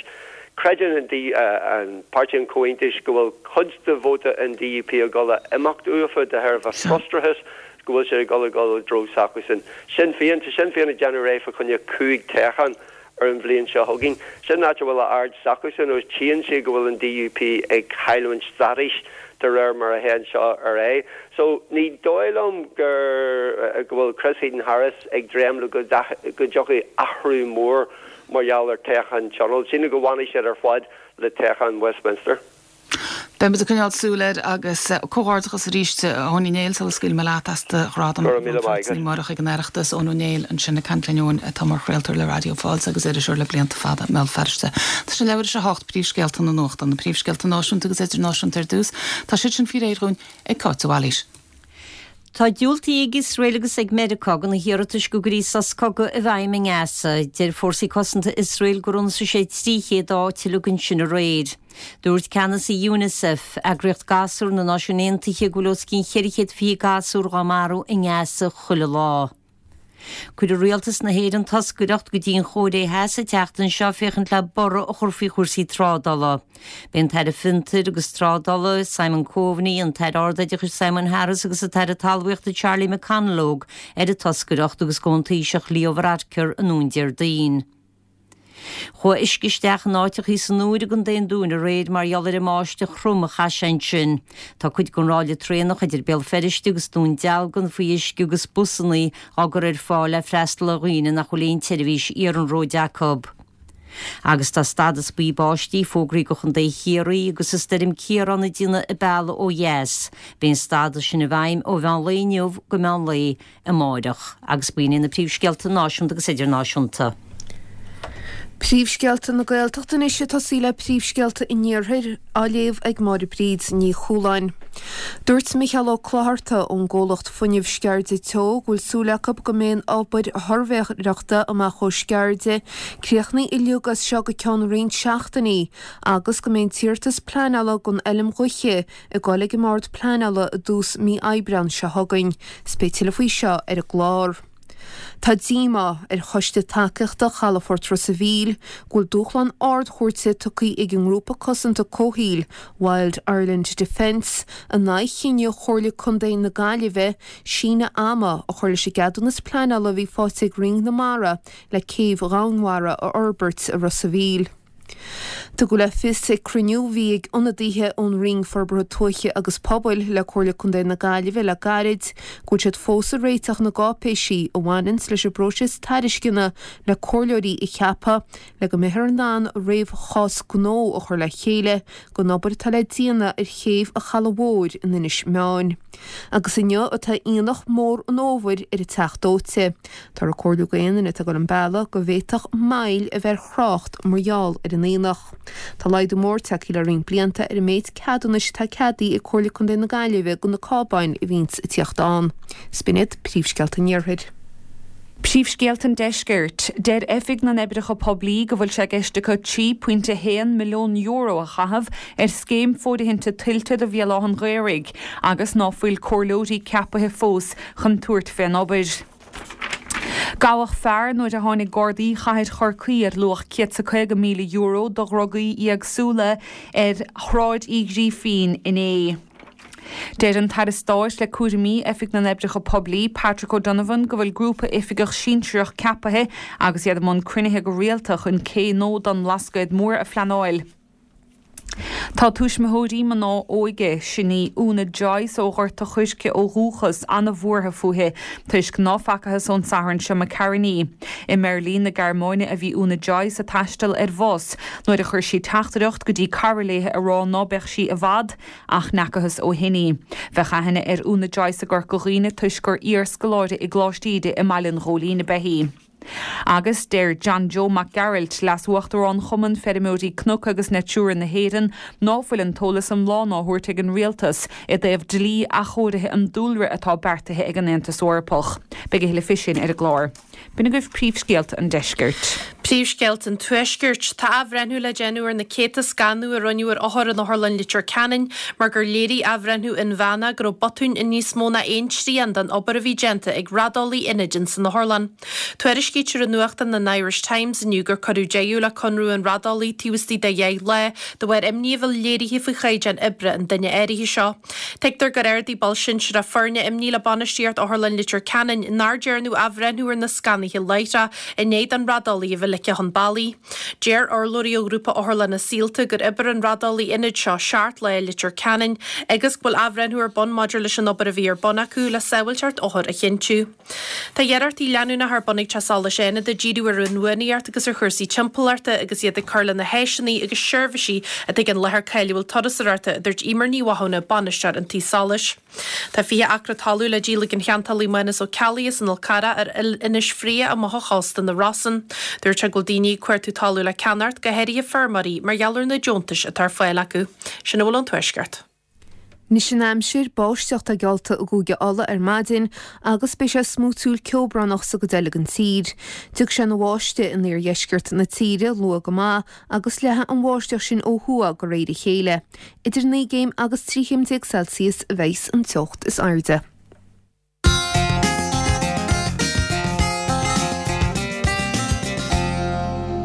Creideann an D, an Páirtí an Chomhaontais go bhfuil cuid de vóta an DUP ag dul a imeacht uafa de thairbhe frustrachas go bhfuil siad ag dul ag dul i dtreo s'acusan. Sinn Féin, tá Sinn Féin ag déanamh réidh fá choinne 5 toghchán. ar an bhliain seo chugainn. Sin an áit a bhfuil a aird s'acusan agus tchíonn siad go bhfuil an DUP ag cailliúint stádais de réir mar a théann seo ar aghaidh. So ní dóigh liom gur go bhfuil Chris Heaton-Harris ag dréim le go go dtiocfaidh athrú mór mar gheall ar toghchán tionóil. Sílim go bhfanfaidh siad ar fad le toghchán Westminster. Beidh muid ag coinneáil súil air agus comhghairdeachas arís a Eoin Uí Néill sula scaoilfidh mé leat as do ghradam Go raibh míle maith agat. Amárach ag an Oireachtas. Eoin Ó Néill ansin ag caint linn Eoin atá mar chraoltóir le Raidió Fáilte agus iriseoir le blianta fada i mBéal Feirste. Tá sé leathuair tar éis a hocht, príomhscéalta na nuachta, na príomhscéalta náisiúnta agus idirnáisiúnta ar dtús. Tá siad sin faoi réir dhúinn ag Cáit de Bhailís. Tá diúltaithe ag Iosrael agus ag Meiriceá do na hiarratais go gcuirfí sos cogaidh i bhfeidhm i nGaza. Deir fórsaí cosanta Iosrael gur ionsaigh sé 300 áit uilig ansin aréir. Dúirt ceannasaí Unicef, eagraíocht gasúr na Náisiún Aontaithe, go bhfuil os cionn 420 gasúr dhá marú i nGaza chuile lá. Cuirfidh Rialtas na hÉireann toscaireacht go dtí an Chóiré Theas an tseachtain seo féachaint le borradh a chur faoi chúrsaí trádála. Beidh an tAire Fiontair agus Trádála, Simon Coveney, an tAire Ardoideachais Simon Harris agus an tAire Talmhaíochta Charlie McConalogue ar an toscaireacht agus gabhfaidh an Taoiseach Leo Varadkar anonn Déardaoin. Chuaigh uisce isteach in áiteachaí san Iúr i gContae an Dúin aréir mar gheall ar an mbáisteach throm a chaith sé ansin. Tá cuid den ráille traenach idir Béal Feirste agus Dún Dealgan faoi uisce agus busannaí á gcur ar fáil le freastal ar dhaoine nach bhfuil aon tseirbhís iarnróid acu. Agus tá stadas buí báistí fógraithe do Chontae Chiarraí agus an stoirm Ciarán ag déanamh a bealaigh ó dheas. Beidh an stadas sin i bhfeidhm ó mheán lae inniu go meán lae amáireach, agus b'in iad na príomhscéalta náisiúnta agus idirnáisiúnta. Príomhscéalta na Gaeltachta anois ag tosaí le príomhscéalta an Iarthair, á léamh ag Máire Bríd Ní Chualáin. Dúirt Micheál Ó Clochartaigh ón gcomhlacht fuinnimh Sceirde Teo go bhfuil súil acu go mbeidh an obair shuirbhéireachta amach ó Sceirde críochnaithe uilig as seo go ceann roinnt seachtainí agus go mbeidh an t-iarratas pleanála don fheilm ghaoithe ag dul ag an mBord Pleanála i dtús mí Aibreán seo chugainn. 'S beidh tuilleadh faoi seo ar an gclár. Tá díomá ar Choiste Tacaíochta Chalafort Ros a' Mhíl go bhfuil dúshlán Ard-Chúirte tugtha ag an ngrúpa cosanta comhshaoil Wild Ireland Defence in aghaidh chinneadh Chomhairle Contae na Gaillimhe síneadh ama a chur leis an gceadúnas pleanála a bhí faighte ag Roinn na Mara le céibh dhomhainmhara a fhorbairt i Ros a' Mhíl. Tugadh le fios ag cruinniú a bhí ag ionadaithe ón Roinn Forbartha Tuaithe agus Pobail le Comhairle Contae na Gaillimhe le gairid go bhfuil siad fós ag réiteach na gcáipéisí a bhaineanns leis an bpróiseas tairisceana le comhairleoirí a cheapadh le go mbeifear in ann réamhchás gnó a chur le chéile don obair atá le déanamh ar chéibh an Chalaidh Mhóir in Inis Meáin. Agus inniu atá aonach mór an fhómhair ar an Teach Dóite. Táthar ag comhairliú d'aon duine atá ag dul an bealach go bhféadfadh moill a bheith ar thrácht mar gheall ar an aonach. Tá laghdú mór tagtha le roinnt blianta ar an méid ceadúnais atá ceadaithe ag Comhairle Contae na Gaillimhe do na cábáin a bhíonns ag tíocht ann. 'S b'in iad príomhscéalta an Iarthair. Príomhscéalta an Deiscirt. Deir Oifig na nOibreacha Poiblí go bhfuil sé i gceist acu €3.1 milliún a chaitheamh ar scéim fóirithinte tuilte do Bhéal Átha'n Ghaorthaidh agus ná fuil comhairleoirí ceapaithe fós chun tabhairt fén obair. Gabhadh fear nuair a tháinig Gardaí Chathair Chorcaí ar luach €150,000 de dhrugaí éagsúla ar Shráid Uí Ghrífín inné. Deir an tAire Stáit le cúraimí Oifig na nOibreacha Poiblí, Patrick O'Donovan, go bhfuil grúpa oifigeach sinsearach ceapaithe agus iad i mbun cruinnithe go rialta chun cé Nód don mBlascaod Mór a phleanáil. Tá tuismitheoirí mná óige, sin í Úna Joyce ó Ghort a' Choirce ó dhúchas, an-bhuartha fúithi toisc ná facathas ón Satharn seo imigh tharainn í. I mBeirlín na Gearmáine a bhí Úna Joyce ag taisteal ar bhus nuair a chuir sí teachtaireacht go dtí cara léi ag rá ná beadh sí i bhfad ach n'fheacathas ó shin í. Bheadh aithne ar Úna Joyce i gCorca Dhuibhne toisc gur iar-scoláire i gColáiste Íde i mBaile an Ghóilín ab ea í. Agus deir John Joe Mac Gearailt, Leas-Uachtarán Chumann Feirmeoirí Cnoc agus Natura na hÉireann, ná fuil an t-eolas iomlán á thabhairt ag an Rialtas i dtaobh dlí athchóirithe an dúlra atá beartaithe ag an Aontas Eorpach. Beidh a thuilleadh faoi sin ar an gclár. B'in agaibh príomhscéalta an deiscirt. Príomhscéalta an Tuaiscirt. Tá athbhreithniú le déanamh ar na céadta scanadh a rinneadh ar othair in Otharlann Leitir Ceanainn mar gur léirigh athbhreithniú inmheánach go raibh botúin i níos mó ná aon trian den obair a bhí déanta ag raideolaí ionaid ins an otharlann. Tuairiscítear i nuachtán an Irish Times inniu gur cuireadh deireadh le conradh an raideolaí taobh istigh de dheich lá de bharr imní a bheith léirithe faoi chaighdeán oibre an duine áirithe seo. Tuigtear gur ardaigh ball sinsearach foirne imní le bainistíocht Otharlann Leitir Ceanainn nár dearnadh athbhreithniú ar na scannaithe láithreach i ndiaidh don raideolaí a bheith ligthe chun bealaigh. Deir urlabhraí ó ghrúpa otharlanna Saolta gur oibir an raideolaí ionaid seo seacht lá i Leitir Ceanainn agus go bhfuil athbhreithniú ar bun maidir leis an obair a bhí ar bun acu le sábháilteacht othar a chinntiú. Tá iarrachtaí leanúnacha ar bun ag Teach Solais Fhánada díriú ar inbhuanaitheacht agus ar chúrsaí timpeallachta agus iad ag cur le na háiseanna agus seirbhísí atá ag an láthair cáiliúil turasóireachta, a dúirt Emer Ní Mhathúna, Bainisteoir an Tí Solais. Tá 20 acra talún le díol ag an cheantálaí Mánas Ó Ceallaigh as an Fhál Carrach ar Inis Fraoigh amach ó chósta na Rosann. Dúirt sé go bhfuil daoine ag cuartú talún le ceannacht, go háirithe feirmeoirí, mar gheall ar na deontais atá ar fáil acu. Sin a bhfuil ón Tuaisceart. Anois an aimsir, báisteach atá geallta i gCúige Uladh ar maidin agus beidh sé smúitiúil ceobhránach sa gcuid eile den tír. Tiocfaidh sé ina bháistigh in iardheisceart na tíre luath go maith agus leathfaidh an bháisteach sin ó thuaidh de réir a chéile. Idir 9 gcéim agus 13 chéim Celsius a bheidhs an teocht is airde.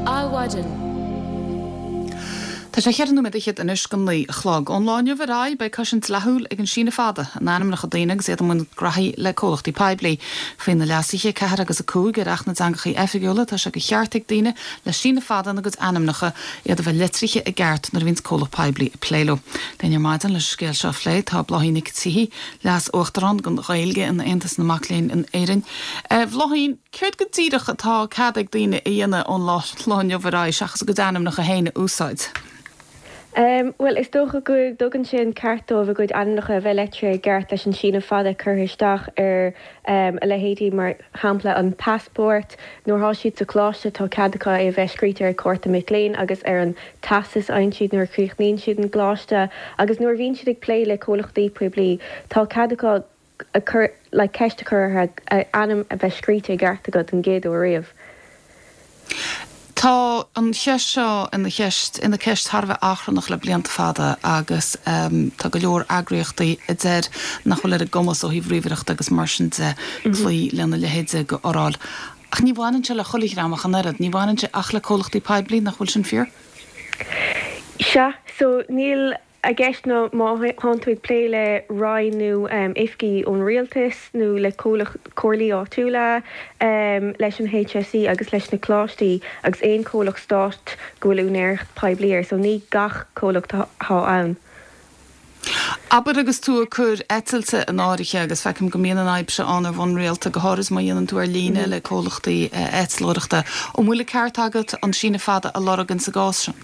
Adhmhaidin. Tá sé cheithre nóiméad fhichead anois go 9 a chlog. Ón lá inniu ar aghaidh, beidh cosaint dleathúil ag an síneadh fada in ainmneacha daoine agus iad i mbun graithí le comhlachtaí poiblí. Faoi na leasuithe 4 agus 5 ar Acht na dTeangacha Oifigiúla, tá sé de cheart ag daoine le síneadh fada ina gcuid ainmneacha iad a bheith litrithe i gceart nuair a bhíonns comhlacht poiblí ag plé leo. Linn ar maidin leis an scéal seo a phlé tá Bláithín Nic tSíthigh, Leas-Uachtarán don Ghaeilge in Aontas na Mac Léinn in Éirinn. A Bhláithín, céard go díreach atá cead ag daoine a dhéanamh ón lá inniu ar aghaidh seachas a gcuid ainmneacha féin a úsáid? Bhuel, is dócha go dtugann sé an ceart dóibh a gcuid ainmneacha a bheith litrithe i gceart leis an síneadh fada curtha isteach ar a leithéidí, mar shampla, an passport. Nuair atá siad sa choláiste tá cead acu é a bheith scríte ar chárta mic léinn agus ar an teastas a fhaigheann siad nuair a chríochnaíonn siad an coláiste agus nuair a bhíonn siad ag plé le comhlachtaí poiblí tá cead acu a cur like ceist a chur orthu a ainm a bheith scríte i gceart acu don gcéad uair riamh. Tá an cheist seo ina cheist ina ceist thar a bheith achrannach le blianta fada agus tá go leor eagraíochtaí a deir nach bhfuil ar a gcumas ó thaobh ríomhaireachta agus mar sin de cloí lena leithéid de fhoráil. Ach ní bhaineann sé le chuile dhream ach an oiread. Ní bhaineann sé ach le comhlachtaí poiblí, nach bhfuil sin fíor? Sea, so níl i gceist ná má thánn tú ag plé le roinn nó oifigí ón rialtas nó le comhlacht, comhairlí áitiúla, leis an HSE agus leis na coláistí agus aon chomhlacht stáit go bhfuil úinéireacht poiblí air, so ní gach comhlacht atá ann. Abair agus tú ag cur eitilte in áirithe, agus feicim go mbíonn an fhadhb seo ann ar bhonn rialta, go háirid má dhéanann tú ar líne le comhlachtaí eitleoireachta, an bhfuil an ceart agat an síneadh fada a lorg insa gcás sin?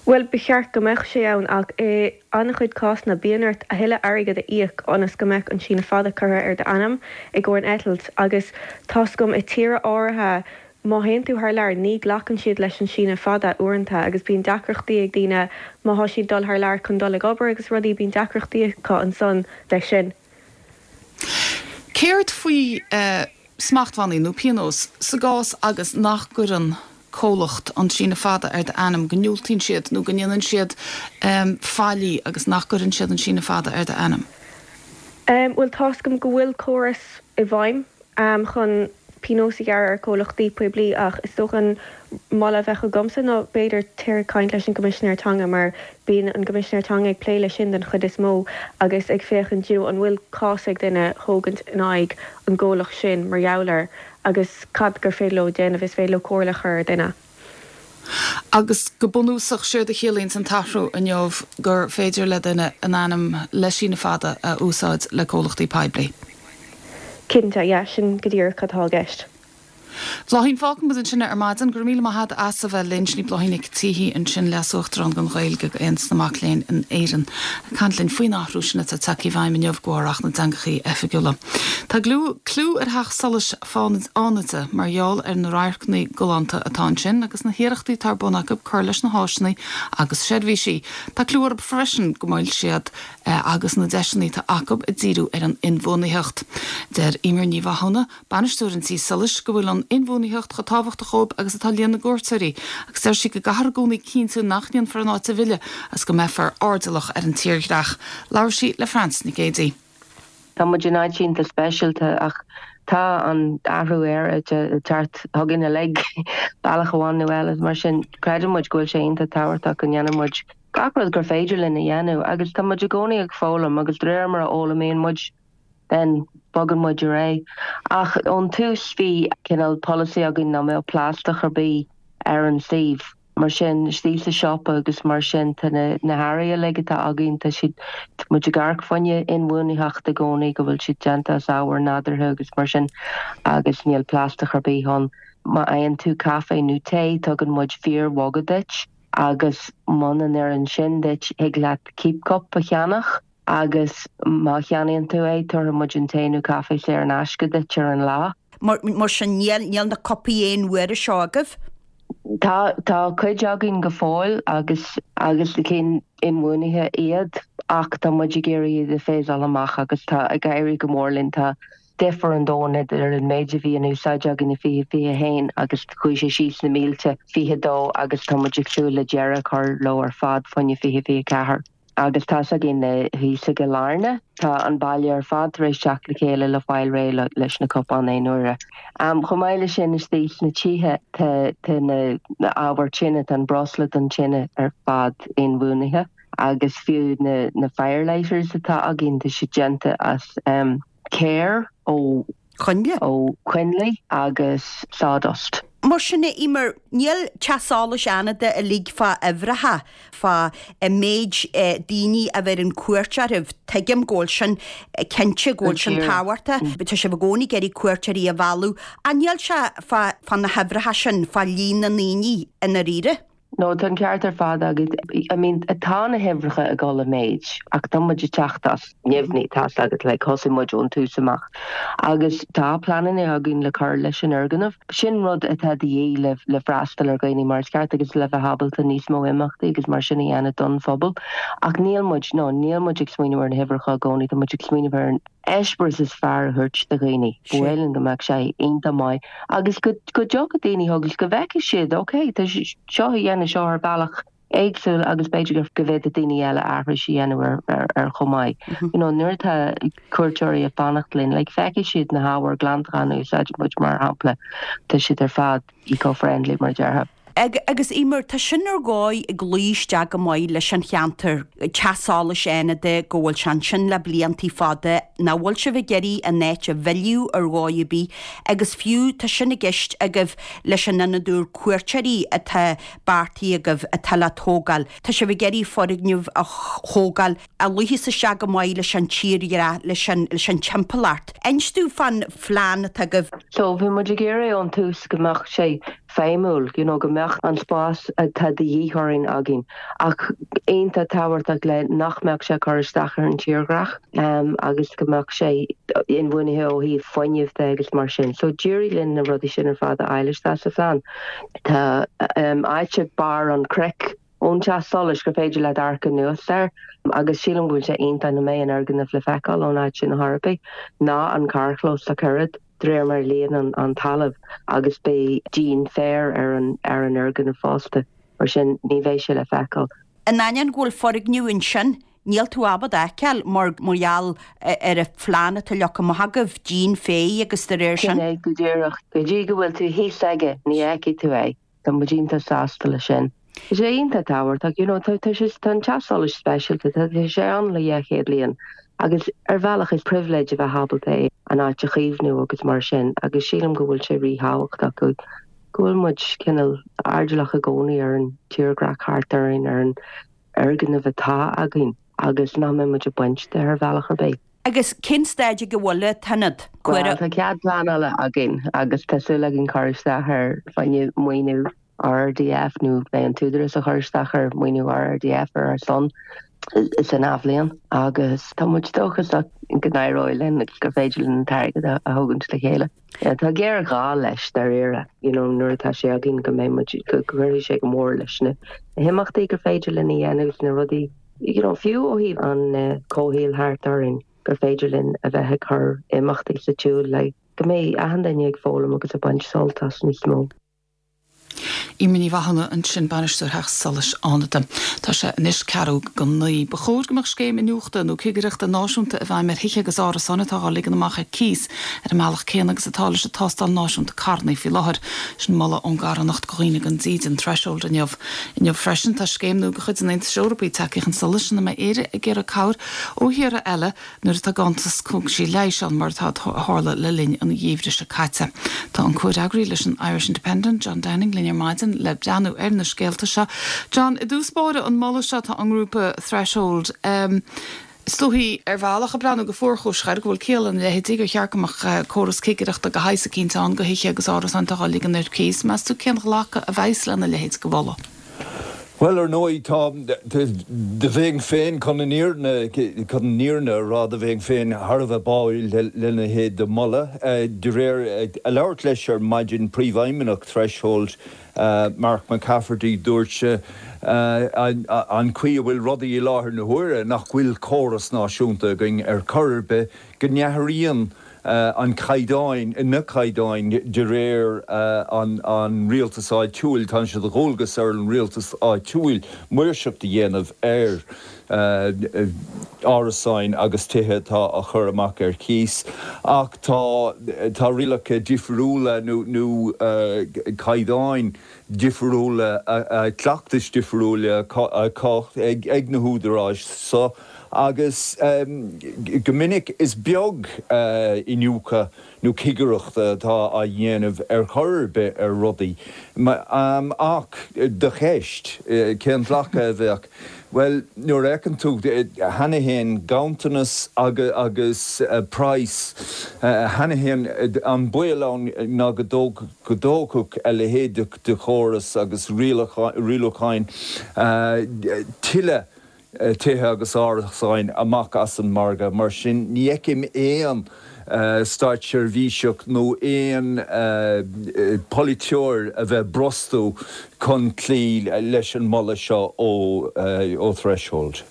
Bhuel, ba cheart go mbeadh sé ann ach i an-chuid cásanna bíonn ort a thuilleadh airgid a íoc ionas go mbeadh an síneadh fada curtha ar d'ainm i gcomhair an eitilt agus tá's agam i tíortha áirithe Má théann tú thar lear, ní ghlacann siad leis an síneadh fada uaireanta agus bíonn deacrachtaí ag daoine má thá siad dul thar lear chun dul ag obair agus rudaí, bíonn deacrachtaí acu ansan leis sin. Céard faoi smachtbhannaí nó pionós sa gcás agus nach gcuireann comhlacht an síneadh fada ar d'ainm, go ndiúltaíonn siad nó go ndéanann siad faillí agus nach gcuireann siad an síneadh fada ar d'ainm? Bhuel, tá's agam go bhfuil córas i bhfeidhm chun pionós a ghearradh ar chomhlachtaí poiblí ach is dócha an moladh a bheadh agamsa ná b'fhéidir téir ag caint leis an gCoimisinéir Teanga mar bíonn an gCoimisinéir Teanga ag plé leis sin den chuid is mó agus ag féachaint you know an bhfuil cás ag duine a thógaint in aghaidh an gcomhlacht sin mar gheall air agus cad gur féidir leo déanamh, is féidir leo comhairle a chur ar dhuine. Agus go bunúsach, séard a chiallaíonns an t-athrú inniu gur féidir le duine a n-ainm le síneadh fada a úsáid le comhlachtaí poiblí. Cinnte, yeah, sin go díreach cad atá i gceist. Bláithín, fágfaidh muid ansin é ar maidin. Go raibh míle maith agat as a bheith linn. Sin í Bláithín Nic Títhigh ansin, Leas-Uachtarán don Ghaeilge ag Aontas na Mac Léinn in Éirinn, ag caint linn faoin athrú sin atá tagtha i bhfeidhm inniu de bharr Acht na dTeangachaí Oifigiúla. Tá clú ar Theach Solais Fhánada mar gheall ar na radharcanna galánta atá ansin agus na hiarrachtaí atá ar bun acu cur leis na háiseanna agus seirbhísí. Tá clú orthu freisin go bhfuil siad agus na deiseanna atá acu ag díriú ar an inbhuanaitheacht. Deir Eimear Ní Mhathúna, Bainisteoir an tí solais, go bhfuil an inbhuanaitheacht chomh tábhachtach dhóibh agus atá líon na gcuairteoirí, agus deir sí go gcaithfear i gcónaí cinntiú nach ndéanfar an áit a mhilleadh agus go mbeifear airdeallach ar an tírdhreach. Labhair sí le Frances Nic Géadaigh. Tá muid in áit iontach speisialta ach tá an t-athrú aeráide ag teacht chugainn uilig, bealach amháin nó eile. Mar sin, creideann muid go bhfuil sé iontach tábhachtach go ndéanann muid gach rud gur féidir linn a dhéanamh agus tá muid i gcónaí ag foghlaim agus de réir mar a fhoghlaimíonn muid, then bogann muid ar aghaidh. Ach ón tús bhí cineál polasaí againn nach mbeadh plaisteach ar bith ar an suíomh. Mar sin, istigh sa siopa agus mar sin, tá na na hearraí uilig atá againn, tá siad, tá muid ag amharc fá choinne inbhuanaitheacht i gcónaí, go bhfuil siad déanta as ábhar nádúrtha agus mar sin agus níl plaisteach ar bith ann. Má fhaigheann tú caife nó tae, tugann muid fíor-mhuga duit agus muna n-oireann sin duit, thig leat keep cup a cheannach. Agus má cheannaíonn tú é, tabharfaidh muid an tae nó caife saor in aisce duit ar an lá. Mar sin, níl, níl na cupaí aon uaire seo agaibh? Tá, tá cuid againn go fóill agus, agus na cinn inbhuanaithe iad ach tá muid ag iarraidh iad a phasáil amach agus tá ag éirí go mór linn. Tá difear an domhain idir an méid a bhí in úsáid againn i 2021 agus chuaigh sé síos na mílte 22 agus tá muid ag súil le deireadh a chur leo ar fad fá choinne 2024. Agus tá's againn thíos i gCill Airne, tá an baile ar fad tar éis teacht le chéile le fáil réidh leis na cupáin aon uaire. Chomh maith leis sin, istigh sna tithe, tá na ábhair tine, tá an breosla don tine ar fad inbhuanaithe agus fiú na firelighters atá againn, tá siad déanta as céir ó. Coinnle. Ó choinnlí agus sawdust. Mar sin, a Eimear, níl Teach Solais Fhánada uilig fá uimhreacha, fá méid daoine a bheireann cuairt oraibh. Tuigim go bhfuil sin, cinnte go bhfuil sin tábhachtach. Tá sibh i gcónaí ag iarraidh cuairteoirí a mhealladh. Ach níl sé fá na huimhreacha sin, fá líon na ndaoine i ndáiríre. No, tá an ceart ar fad agat. I mean, tá na huimhreacha ag dul i méid ach tá muid ag teacht as neamhní, tá's agat, like, thosaigh muid ón tús amach. Agus tá pleananna againn le cur leis an fhoirgneamh. Sin rud atá de dhíth le, le freastal ar dhaoine mar is ceart agus le bheith ábalta níos mó imeachtaí agus mar sin a dhéanamh don phobal. Ach níl muid, no, níl muid ag smaoineamh ar na huimhreacha i gcónaí, tá muid ag smaoineamh ar an eispéireas is fearr a thabhairt do dhaoine. Ba mhaith linn go mbeadh sé iontach maith agus go go dtiocfadh daoine agus go bhfeicfidh siad ok, tá seo á dhéanamh seo ar bhealach éagsúil agus b'fhéidir go go bhféadfadh daoine eile aithris a dhéanamh ar ar ar chomh maith. You know, nuair atá cuairteoirí ag fanacht linn, like feicfidh siad na hábhair glantacháin a úsáideann muid mar shampla, tá siad ar fad eco-friendly mar a déarfá. Agus Eimear, tá sin ar dhóigh ag luí isteach go maith leis an cheantar, Teach Solais Fhánada, go bhfuil sé ansin le bliantaí fada, nach bhfuil sibh ag iarraidh an áit a mhilleadh ar dhóigh ar bith agus fiú tá sin i gceist agaibh leis an ionad úr cuairteoirí atá beartaithe agaibh atá le tógáil. Tá sibh ag iarraidh foirgneamh a thógáil a luífeas isteach go maith leis an tírdhreach, leis an, leis an timpeallacht. Inis domh fán phlean atá agaibh. So, bhí muid ag iarraidh ón tús go mbeadh sé feidhmiúil, you know, go mbeadh an spás atá de dhíth orainn againn, ach iontach tábhachtach le nach mbeadh sé ag cur isteach ar an tírdhreach agus go mbeadh sé inbhuanaithe ó thaobh fuinnimh de agus mar sin. So, d'éirigh linn na rudaí sin ar fad a fháil isteach sa phlean. Tá áit ag barr an chnoic ón teach solais gur féidir leat amharc anuas air agus sílim go bhfuil sé iontach nach mbeidh an fhoirgneamh le feiceáil ón áit sin ar chor ar bith, ná an carrchlós ach oiread, de réir mar a líonann an talamh agus beidh díon féir ar an ar an fhoirgneamh fosta, mar sin ní bheidh sé le feiceáil. In ainneoin go bhfuil foirgneamh ansin, níl tú ábalta a fheiceáil mar mar gheall ar an phlean atá leagtha amach agaibh, díon féir agus de réir sin. Sin é go díreach. Go dtí go bhfuil tú thíos aige, ní fheicfidh tú é. Tá muid iontach sásta leis sin. Tá sé iontach tábhachtach, you know, tá tá sé tá an teach solais speisialta, tá tá sé ann le 200 bliain agus ar bhealach is pribhléid a bheith ábalta é an áit a chaomhnú agus mar sin agus sílim go bhfuil sé ríthábhachtach go go bhfuil muid cineál airdeallach i gcónaí ar an tírdhreach thart orainn, ar an fhoirgneamh atá againn agus nach mbeidh muid ag baint de ar bhealach ar bith. Agus cén staid ag a bhfuil an t-ionad? Bhuel, tá cead pleanála againn agus tá súil againn cur isteach ar fá choinne maoiniú RRDF nó beidh an tÚdarás ag cur isteach ar maoiniú RRDF ar ár son san athbhliain agus tá muid dóchasach go n-éireoidh linn agus gur féidir linn an t-airgead a thógaint le chéile. Tá géarghá leis dáiríre, you know, nuair atá sé againn go mbeidh muid, go gcuirfidh sé go mór leis na himeachtaí gur féidir linn a dhéanamh agus na rudaí, you know, fiú ó thaobh an comhshaoil thart orainn gur féidir linn a bheith ag cur imeachtaí sa tsiúl le go mbeidh achan duine ag foghlaim agus ag baint sult as níos mó. Eimear Ní Mhathúna ansin, Bainisteoir Theach Solais Fhánada. Tá sé anois ceathrú go 9. Ba chóir go mbeadh scéim iniúchta nó cigireachta náisiúnta i bhfeidhm ar thithe agus árasáin atá á ligean amach ar cíos ar an mbealach céanna agus atá leis an tástáil náisiúnta carranna faoi láthair. Sin moladh ón gcarthanacht do dhaoine gan dídean, Threshold, inniu. Inniu freisin tá scéim nua de chuid an Aontais Eorpaigh tagtha chun solais ina mbeidh Éire ag iarraidh cabhair ó thíortha eile nuair atá ganntanas cógaisí leighis ann, mar atá a tharla le linn an gheimhridh seo caite. Tá an comhfhreagraí leis an Irish Independent, John Downing, linn ar maidin le breathnú ar na scéalta seo. John, i dtús báire, an moladh seo atá ón ngrúpa Threshold, is dóichí, ar bhealach, ag breathnú go fuarchúiseach air, go bhfuil ciall lena leithéidí, gur cheart go mbeadh córas cigireachta de shaghas eicínt ann do thithe agus árasáin atá á ligean ar cíos. Meas tú cén ghlacadh a bheas lena leithéid de mholadh? Bhuel, ar ndóigh, tá, do bheinn féin, chun an fhírinne, chun an fhírinne a rá, do bheinn féin thar a bheith báúil lena leithéid de mholadh. De réir, ag labhairt leis ar maidin, Príomhfheidhmeannach Threshold, Mark McCafferty, dúirt sé, an chaoi a bhfuil rudaí i láthair na huaire, nach bhfuil córas náisiúnta againn ar chor ar bith, go n-athraíonn an caighdeáin, na caighdeáin de réir an rialtas áitiúil, tá sé de dhualgas ar an rialtas áitiúil maoirseacht a dhéanamh ar árasáin agus tithe atá á chur amach ar cíos ach tá tá rialacha difriúla nó nó caighdeáin difriúla, cleachtais difriúla acu ag na húdaráis so agus go minic is beag iniúchadh nó cigireachta atá á dhéanamh ar chor ar bith ar rudaí. Ach do cheist, cén glacadh a bheadh? Bhuel, nuair a fheiceann tú cheana fhéin ganntanas agus praghas cheana fhéin, an baol ann ná go dtógfadh a leithéid de chóras agus rialúcháin tuilleadh tithe agus árasáin amach as an margadh. Mar sin, ní fheicim aon státseirbhíseach nó aon pholaiteoir a bheith ag brostú chun cloí leis an moladh seo ó Threshold.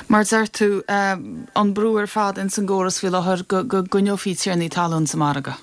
Mar a deir tú, an brú ar fad ins an gcóras faoi láthair go gcoinneofaí tiarnaí talún sa margadh.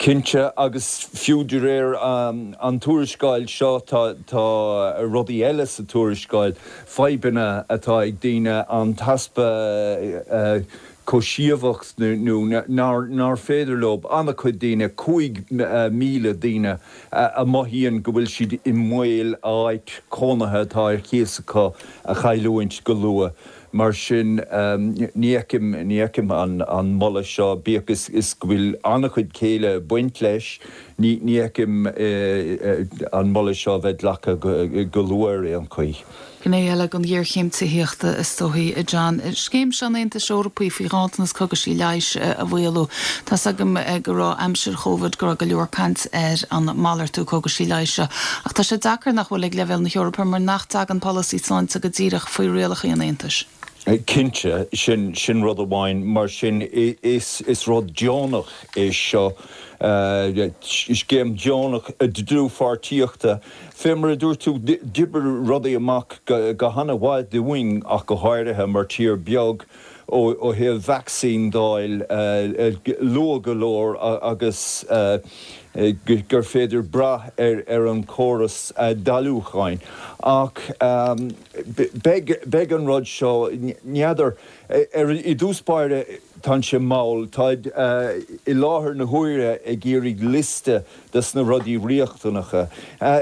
Cinnte, agus fiú de réir an tuarascáil seo, tá rudaí eile sa tuarascáil, fadhbanna atá ag daoine, an t-easpa cógaisíocht nó nár féidir leo, an-chuid daoine, 5,000 daoine a mothaíonn go bhfuil siad i mbaol a áit cónaithe atá ar cíos acu a chailliúint go luath. Mar sin, ní fheicim, ní fheicim an moladh seo, bíodh is go bhfuil an-chuid céille ag baint leis, ní fheicim an moladh seo a bheith glactha go luath ar aon chaoi. Gné eile den ghéarchéim tithíochta, is dóichí, a John, scéim seo an Aontais Eorpaigh faoi ghanntanas cogaisí leighis a mhaolú. Tá's agam go raibh aimsir Chóvid go raibh go leor caint ar an malartú cógaisí leighis seo, ach tá sé deacair nach bhfuil ag leibhéal na hEorpa mar nach dtagann polasaí sláinte go díreach faoi rialacha an Aontais. Cinnte, sin, sin rud amháin. Mar sin, is, is rud deonach é seo, scéim deonach dlúthpháirtíochta. Fé mar a dúirt tú, d'oibrigh rudaí amach go han-mhaith dúinn ach go háirithe mar tír beag ó thaobh vacsaín d'fháil luath go leor agus gur féidir brath ar an chóras dáiliúcháin. Ach beidh an rud seo, n'fheadar, i dtús báire tánn sé mall, táid i láthair na huaire ag iarraidh liosta des na rudaí riachtanacha.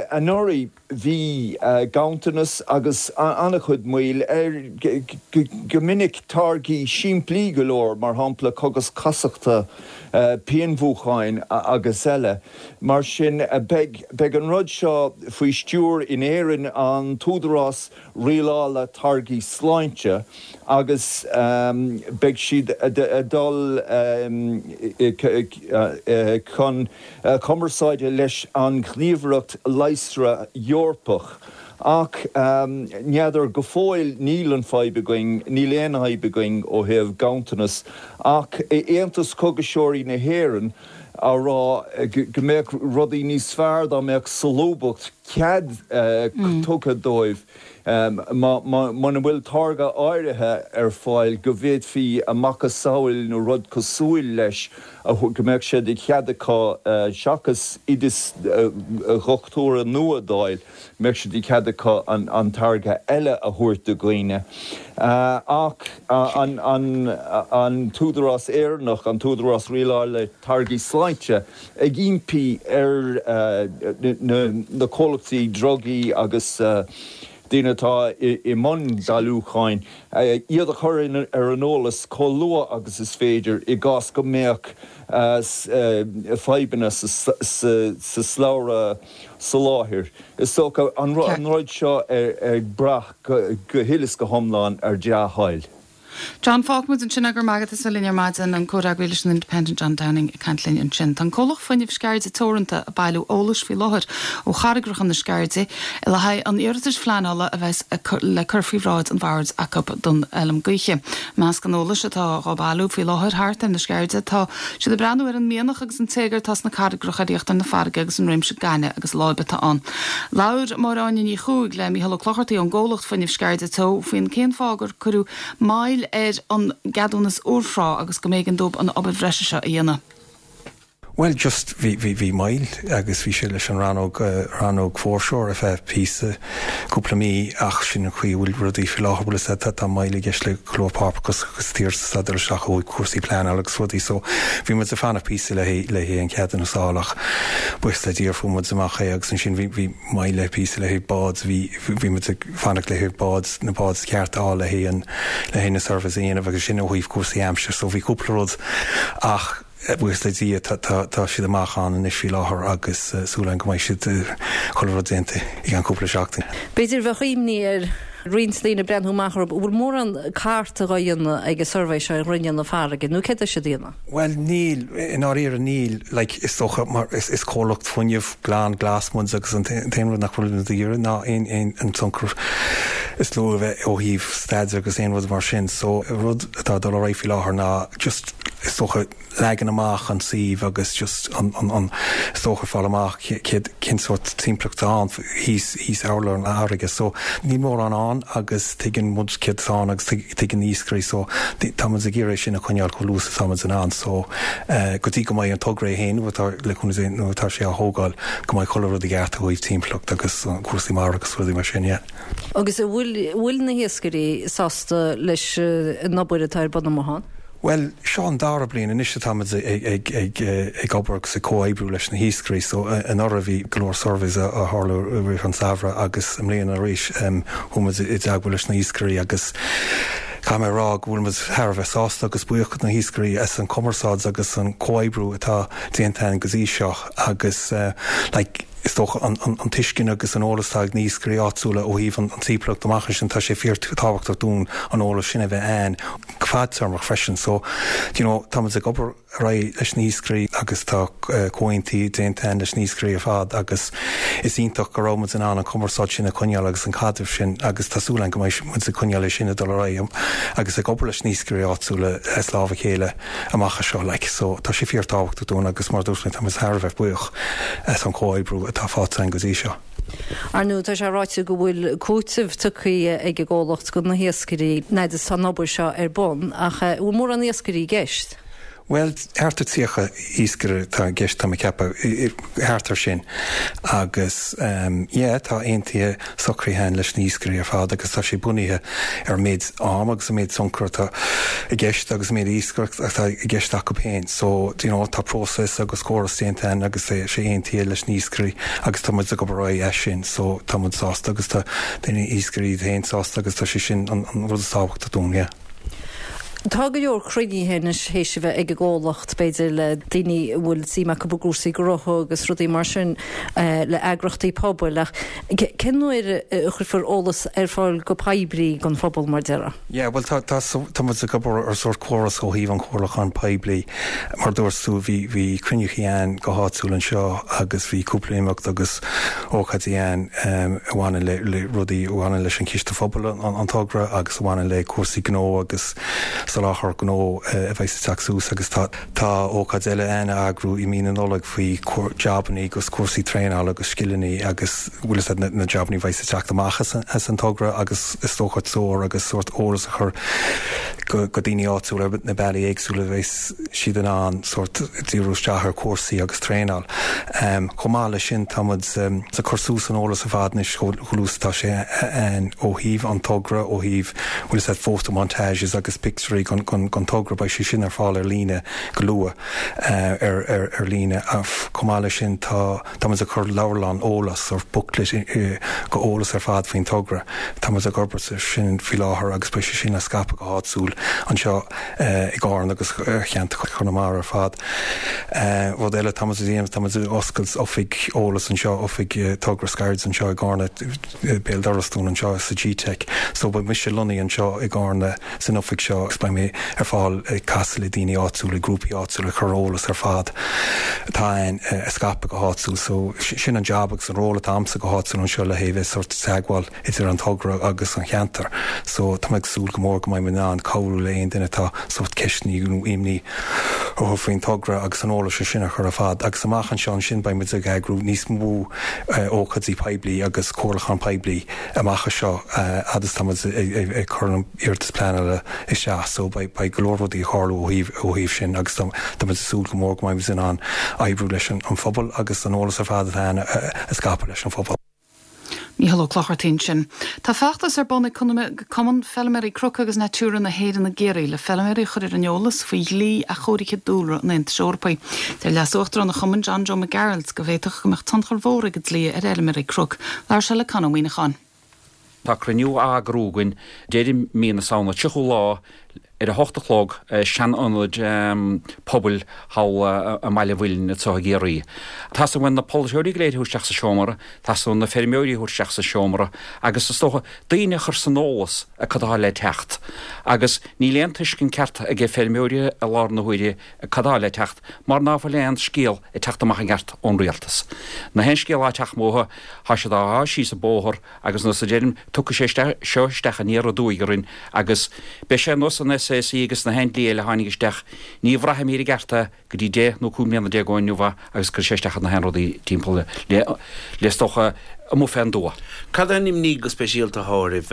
Anuraidh bhí ganntanas agus an-chuid moill ar go minic táirgí simplí go leor, mar shampla cogais casachta, pianmhúcháin agus eile. Mar sin, beidh, beidh an rud seo faoi stiúir in Éirinn an tÚdarás Rialála Táirgí Sláinte agus beidh siad ag dul chun cumarsáide leis an Ghníomhaireacht Leigheasra Eorpach. Ach n'fheadar, go fóill níl an fadhb againn, níl aon fhadhb againn ó thaobh ganntanas, ach Aontas Cógaiseoirí na hÉireann á rá go mbeadh rudaí níos fearr dá mbeadh solúbthacht, cead tugtha dóibh muna bhfuil táirge áirithe ar fáil go bhféadfaí a macasamhail nó rud cosúil leis go mbeadh sé de chead acu seachas oideas dhochtúra nua d'fháil. mbeadh sé de chead acu an táirge eile a thabhairt do dhaoine. Ach an tÚdarás Éireannach, an tÚdarás Rialála Táirgí Sláinte, ag impí ar na comhlachtaí drugaí agus daoine atá i mbun dáiliúcháin, iad a chur ar an eolas chomh luath agus is féidir i gcás go mbeadh fadhbanna sa slabhra soláthair. Is dócha an rud seo ag brath go huile is go hiomlán ar dea-thoil. John, Fágfaidh muid ansin é, go raibh maith agat as a bheith linn ar maidin, an comhfhreagraí leis an Independent John Downing ag caint linn ansin. Tá an comhlacht fuinnimh Sceirde Teoranta ag bailiú eolais faoi láthair ó charraigreacha na Sceirde le haghaidh an iarratais phleanála a bheas le cur faoi bhráid an bhoird acu don fheilm gaoithe. I measc an eolais atá dhá bailiú faoi láthair thart ar na Sceirde tá siad ag breathnú ar an mianach agus an téagar atá sna carraigreacha ar íochtar na farraige agus an réimse gainimhe agus láibe atá ann. Labhair Máire Áine Ní Chuaig le Mícheál Ó Clochartaigh ón gcomhlacht fuinnimh Sceirde Teo faoin cén fáth gur cuireadh moill ar an gceadúnas úrthráth agus go mb'éigean dóibh an obair bhreise seo a dhéanamh. Bhuel just bhí, bhí, bhí moill agus bhí sé leis an rannóg, rannóg foreshore ar feadh píosa, cúpla mí ach sin an chaoi a bhfuil rudaí faoi láthair, bhfuil fhios a'd, tá, tá moill i gceist le go leor páipéarachas agus iarratas atá ag dul isteach ó thaobh cúrsaí pleanála agus rudaí so bhí muid ag fanacht píosa le haghaidh, le haghaidh an ceadúnas a fháil ach buíochas le Dia fuair muid amach é agus ansin bhí, bhí moill le píosa le haghaidh bád, bhí, bhí muid ag fanacht le haghaidh bád, na báid ceart a fháil le haghaidh an, le haghaidh na surveys a dhéanamh agus sin ó thaobh cúrsaí aimsire so bhí cúpla rud ach Buíochas le Dia tá siad amach ann anois faoi láthair agus súil againn go mbeidh siad chuile rud déanta i gceann cúpla seachtain. B'fhéidir bheadh imní ar roinnt daoine ag breathnú amach orthu, an bhfuil mórán carta dhá dhéanamh ag an suirbhé seo ar ghrinneall na farraige nó céard tá siad a dhéanamh? Bhuel níl, i ndáiríre níl, like is dócha mar is comhlacht fuinnimh glan glas muid agus an t-aon rud nach bhfuil muid ag iarraidh ná aon aon an tionchar is lú a bheith ó thaobh staide agus aon rud mar sin so rud atá ag dul ar aghaidh faoi láthair ná just is dócha, leagan amach an tsuímh agus just an, an, an, is dócha fáil amach céard, cén sórt timpeallacht atá ann thíos, thíos urlár na farraige. So níl mórán ann agus tuigeann muid céard atá ann agus tuigeann na hiascairí so tá muid ag iarraidh é sin a choinneáil chomh luath is atá muid in ann. So go dtí go mbeidh an togra é féin, nuair atá, le cúnamh Dé, nuair atá sé á thógáil, go mbeidh chuile rud i gceart ó thaobh timpeallacht agus cúrsaí mara agus rudaí mar sin, yeah. Agus an bhfuil, bhfuil na hiascairí sásta leis an obair atá ar bun amuigh ann? Bhuel, seo an dara bliain anois atá muid ag obair agus ag comhoibriú leis na hiascairí. So, anuraidh bhí go leor surveys a tharlú i rith an samhradh agus i mbliana arís chuaigh muid i dteagmháil leis na hiascairí agus caithfidh mé a rá go bhfuil muid thar a bheith sásta agus buíoch do na hiascairí as an cumarsáid agus an comhoibriú atá déanta againn go dtí seo agus like is dócha an tuiscint agus an eolas atá ag na hiascairí áitiúla ó thaobh an timpeallacht amach ansin tá sé fíor tábhachtach dúinn an eolas sin a bheith ann. go fadtéarmach freisin. So, you know, tá muid ag obair ar aghaidh leis na hiascairí agus tá comhaontuithe déanta againn leis na hiascairí ar fad agus is iontach go raibh muid in ann an cumarsáid sin a choinneáil agus an caidreamh sin agus tá súil againn go mbeidh muid ag coinneáil é sin ag dul ar aghaidh agus ag obair leis na hiascairí áitiúla as lámh a chéile amach anseo like. So, tá sé fíor tábhachtach dúinn agus mar a dúirt mé tá muid thar a bheith buíoch as an chomhoibriú atá faighte againn go dtí seo. Ar ndóigh, tá sé ráite go bhfuil cúiteamh tugtha ag an gcomhlacht do na hiascairí an fhad is atá an obair seo ar bun, ach an bhfuil mórán iascairí i gceist? Bhuel, thart ar 30 iascaire atá i gceist, tá mé ag ceapadh, thart ar sin. Agus yeah, tá aontuithe socraithe againn leis na hiascairí ar fad agus tá sé bunaithe ar an méid am agus an méid tionchar atá i gceist agus an méid iascaireacht atá i gceist acu féin. So, do you know, tá próiseas agus córas déanta againn agus tá sé aontaithe leis na hiascairí agus tá muid ag obair ar aghaidh as sin so tá muid sásta agus tá na hiascairí iad féin sásta agus tá sé sin an rud is tábhachtaí dúinn, yeah. Tá go leor cruinnithe anois théis a bheith ag an gcomhlacht, b'fhéidir le daoine a bhfuil suim acu i gcúrsaí gnótha agus rudaí mar sin, le eagrachtaí pobail, ach cén uair a chuirfear eolas ar fáil go poiblí don phobal, mar déarfá? Yeah, bhuel tá, tá, tá muid ag obair ar sórt córas ó thaobh an chomhairliúcháin poiblí. Mar a dúirt tú, bhí, bhí cruinniúchaí ann go háitiúil anseo agus bhí cúpla imeacht agus ócáidí ann a bhaineann le, le rudaí a bhaineann leis an Chiste Phobail, an, an togra agus a bhaineann le cúrsaí gnó agus soláthar gnó a bheas ag teacht suas agus tá, tá ócáid eile ann a eagrú i mí na Nollag faoi jabannaí agus cúrsaí traenála agus scileannaí agus bhfuil fhios a'd na, na jabannaí a bheas ag teacht amach as an, as an togra agus is dócha treoir agus sórt eolas a chur go, go daoine áitiúla ar na bealaí éagsúla a bheas siad in ann sórt díriú isteach ar chúrsaí agus traenáil. Chomh maith leis sin tá muid ag cur suas an eolas ar fad anois chomh luath is atá sé ann ó thaobh an togra, ó thaobh bhfuil fhios a'd photomontages agus pictiúirí gon, gon, gon togra, beidh sé sin ar fáil ar líne go luath ar, ar, ar líne. Chomh maith leis sin tá. Tá muid ag cur leabhrán eolais, sórt booklet, go eolas ar fad faoin togra. Tá muid ag obair air sin faoi láthair agus beidh sé sin le scaipeadh go háitiúil anseo i gCarna agus ar cheantar Chonamara ar fad. Rud eile atá muid a dhéanamh, tá muid ag oscailt oifig eolais anseo, oifig togra Scaird anseo i gCarna, béal dorais dúinn anseo sa GTeic. So beidh mise lonnaithe anseo i gCarna san oifig seo agus beidh mé ar fáil ag casadh le daoine áitiúla, grúpaí áitiúla, ag cur eolas ar fad atá ann a scaipeadh go háitiúil. So sin an jab agus an ról atá a'msa go háitiúil anseo le haghaidh bheith sórt teagmháil idir an togra agus an cheantar. So tá mé ag súil go mór go mbeidh mé in ann cabhrú le aon duine atá sórt ceisteanna nó imní orthu faoin togra agus an eolas sin a chur ar fad. Agus amach anseo ansin beidh muid ag eagrú níos mó ócáidí poiblí agus comhairliúchán poiblí amach anseo fhad is tá muid ag cur an iarratas pleanála isteach so beidh go leor rudaí ag tarlú ó thaobh ó thaobh sin agus tá muid ag súil go mór go mbeidh muid in ann oibriú leis an phobal agus an eolas ar fad atá ann a scaipeadh leis an phobal. Mícheál Ó Clochartaigh ansin. Tá feachtas ar bun ag Cumann Feilméaraí Cnoc agus Natura na hÉireann i gCiarraí le feilméaraí a chur ar an eolas faoi dhlí athchóirithe dúlra an Aontais Eorpaigh. Deir Leas-Uachtarán an chumainn, John Joe Mac Gearailt, go bhféadfadh go mbeadh tionchar mhór ag an dlí ar fheilméaraí cnoc. Labhair sé le Con Ó Muíneacháin. Tá cruinniú á eagrú againn deireadh mí na Samhna, 30ú lá, ar a hocht a chlog i sean-ionad pobail thall i mBaile an Mhuilinn anseo i gCiarraí. Teastaíonn uainn na polaiteoirí go léir a thabhairt isteach sa seomra, teastaíonn na feirmeoirí a thabhairt isteach sa seomra agus is dócha daoine a chur san eolas ar cad atá le teacht. Agus níl aon tuiscint ceart ag feirmeoirí i láthair na huaire cad atá le teacht mar ná fuil aon scéal ag teacht amach i gceart ón rialtas. Na haon scéal atá ag teacht uathu, tá siad á shá síos an bóthar agus nós a deirim, tiocfaidh sé seo isteach aniar aduaidh orainn agus beidh sé ar nós an SAC agus na haon dlí eile a tháinig isteach, ní bhraithfimid i gceart é go dtí 10 nó 15 mbliana ó inniu agus cuirfidh sé isteach ar na haon rudaí timpeall le is dócha amuigh fén dtuath. Cad é an imní go speisialta atá oraibh?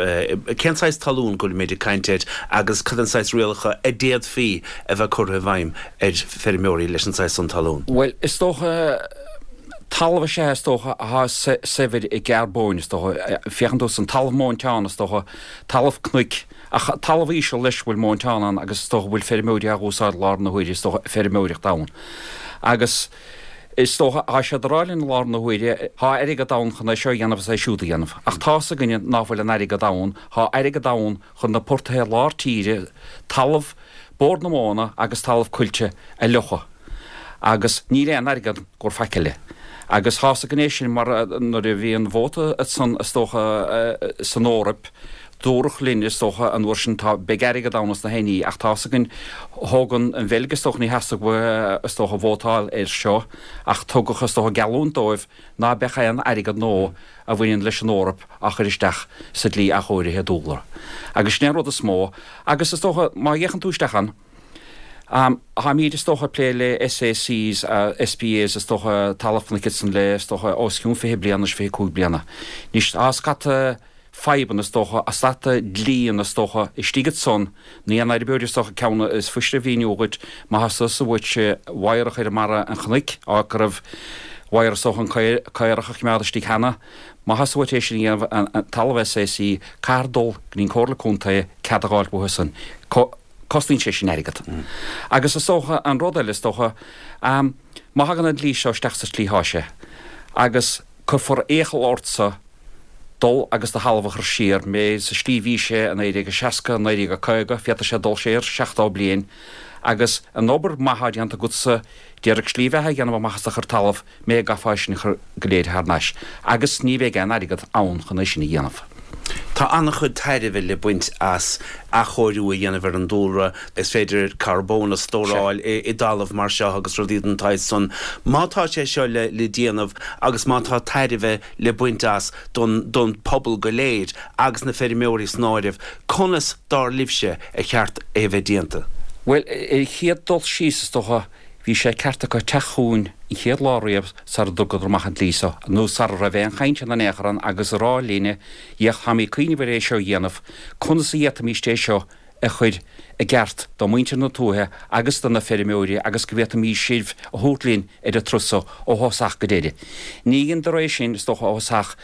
Cén saghas talún go bhfuilimid ag caint air agus cad é an saghas rialacha a d'fhéadfaí a bheith curtha i bhfeidhm ar feirmeoirí leis an saghas san talún? Bhuel, is dócha, talamh is ea is dócha atá saibhir i gcarbóin, is dócha. Féachann tú san talamh móinteán, is dócha, talamh cnoic, ach talamh íseal leis a bhfuil móinteán ann agus is dócha go bhfuil feirmeoirí á dh'úsáid lár na huaire, is dócha, feirmeoireacht ann. Agus is dócha, thá siad a rá linn i láthair na huaire, thá airgead ann chun é seo a dhéanamh is é siúd a dhéanamh. Ach tá's againne ná fuil an airgead ann, thá airgead ann chun na portaithe lár tíre, talamh Bord na Móna agus talamh coillte a fhliuchadh agus níl aon airgead gur faic eile. Agus thá's againn é sin mar nuair a bhí an vóta ansan is dócha san Eoraip dúradh linn is dócha an uair sin tá beidh airgead ann is na haon ní ach tá's againn thóg an Bheilg is dócha ní theastaigh uathu is dócha vótáil air seo ach tugadh is dócha geallúint dóibh ná beadh aon airgead nó a bhaineann leis an Eoraip á chur isteach sa dlí athchóirithe dúlra. Agus sin é an rud is mó. Agus is dócha, má fhéachann tú isteach ann, táimid is dócha ag plé le SACs, SPAs, is dócha, talamh cnoic ansan le, is dócha, os cionn 20 bliana, 25 bliana. Anois, tá scata fadhbanna, is dócha, scata dlíonna, is dócha, istigh ansan, Na haon fheirmeoir is dócha ceann is fuisire a mhíniú dhuit, má theastaigh uait wire a chur i mbarra an chnoic, áit go raibh wire is dócha an caorach a choimeád istigh cheana, má theastaigh uait é sin a dhéanamh, an talamh SAC, caithfear dul go dtí an Comhairle Contae cead a dh'fháilt uathu san. Cosnaíonn sé sin airgead. Agus is dócha an rud eile is dócha, má thagann an dlí seo isteach sa tslí thá sé, agus cuirfear iachall ortsa. Dul agus do thalamh a chur siar, mé sa slí bhí sé i 1960, 1950, féadfaidh sé dul siar 70 bliain agus an obair maith atá déanta agatsa d'iarraidh slí bheatha a dhéanamh amach as do chuid talamh, mé a gcaithfeá é sin a chur go léir thar n-ais agus ní bheidh aon airgead ann chun é sin a dhéanamh. Tá an-chuid tairbhe le baint as athchóiriú a dhéanamh ar an dúlra. Is féidir carbón a stóráil i dtalamh mar seo agus rudaí den tsaghas san. Má tá sé seo le déanamh agus má tá tairbhe le baint as don don pobal go léir agus na feirmeoirí san áireamh, conas, dar libhse, a cheart é a bheith déanta? Bhuel, ar an chéad dul síos, is dócha, bhí sé ceart acu teacht chugainn an chéad lá riamh sara dtugadar amach an dlí seo, nó sara raibh aon chaint ann in aon chor ann agus a rá linne, Fhéach, táimid ag cuimhneamh ar é seo a dhéanamh, conas a d'fhéadfaimíst é seo a chur i gceart do mhuintir na tuaithe agus do na feirmeoirí agus go bhféadfaimís sibh a thabhairt linn ar an turas so ó thosach go deireadh. Ní dheineadar é sin, is dócha, ó thosach.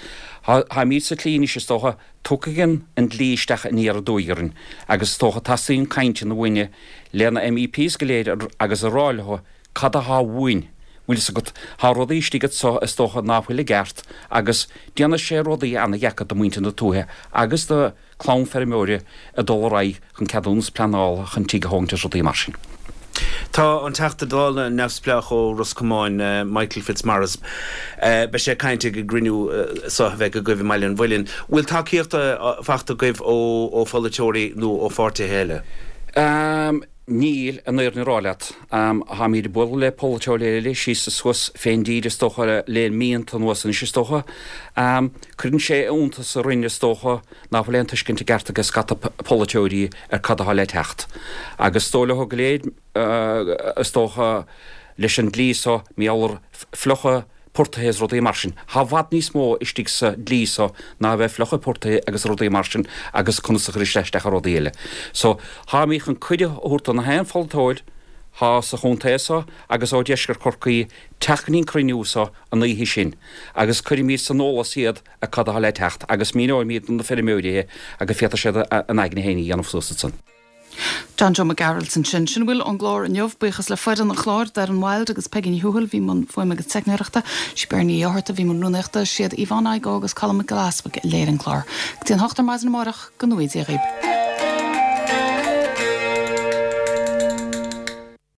Táimid sa tslí anois, is dócha, tiocfaidh an dlí isteach aniar aduaidh orainn agus is dócha teastaíonn cainteanna uainne le na MEPs go léir agus a rá leo cad athá uainn, bhfuil fhios agat, thá rudaí istigh anso is dócha ná fuil i gceart agus déanfaidh sé rudaí ana-dheacair do mhuintir na tuaithe agus do clann feirmeoirí ag dul ar aghaidh chun ceadúnas pleanála chun tigh a thógaint is rudaí mar sin. Tá an Teachta Dála neamhspleách ó Ros Comáin, Michael Fitzmaurice, beidh sé ag caint ag an gcruinniú seo a bheidh agaibh i mBaile an Mhuilinn. Bhfuil tacaíocht faighte agaibh ó pholaiteoirí nó ó pháirtithe eile? Níl, an fhírinne a rá leat. Táimid ag bualadh le polaiteoirí eile síos is suas fén dtír is dócha le míonta anuas anois is dócha. Cuireann sé iontas orainn is dócha nach bhfuil aon tuiscint i gceart ag scata polaiteoirí ar cad atá le teacht. Agus is dóigh leo go léir is dócha leis an dlí so, mar gheall ar fliuchadh portaithe is rudaí mar sin. Thá i bhfad níos mó istigh sa dlí so ná a bheith fliuchadh portaithe agus rudaí mar sin agus conas a chuir sé isteach ar rudaí eile. So, tháimid chun cuireadh a thabhairt do na haon pholaiteoir thá sa chontae so agus ó deisceart Chorcaí teacht go dtí an cruinniú so an oíche sin agus cuirfimid san eolas iad ar cad athá le teacht agus míneoimid do na feirmeoirí é agus féadfaidh siad a n-aigne féin a dhéanamh suas ansan. John Joe Mac Gearailt ansin. Sin a bhfuil ón gclár inniu. Buíochas le foireann an chláir, Darren Wilde agus Peigí Ní Thuathail a bhí i mbun fuaime agus teicneoireachta, sí Bernie Uí Fhátharta a bhí i mbun rúnaíochta, siad Yvonne Igoe agus Colm Mac Giolla Easbuig a léirigh an clár. Go dtí an hocht ar maidin amárach, go ngnóthaí Dia dhaoib.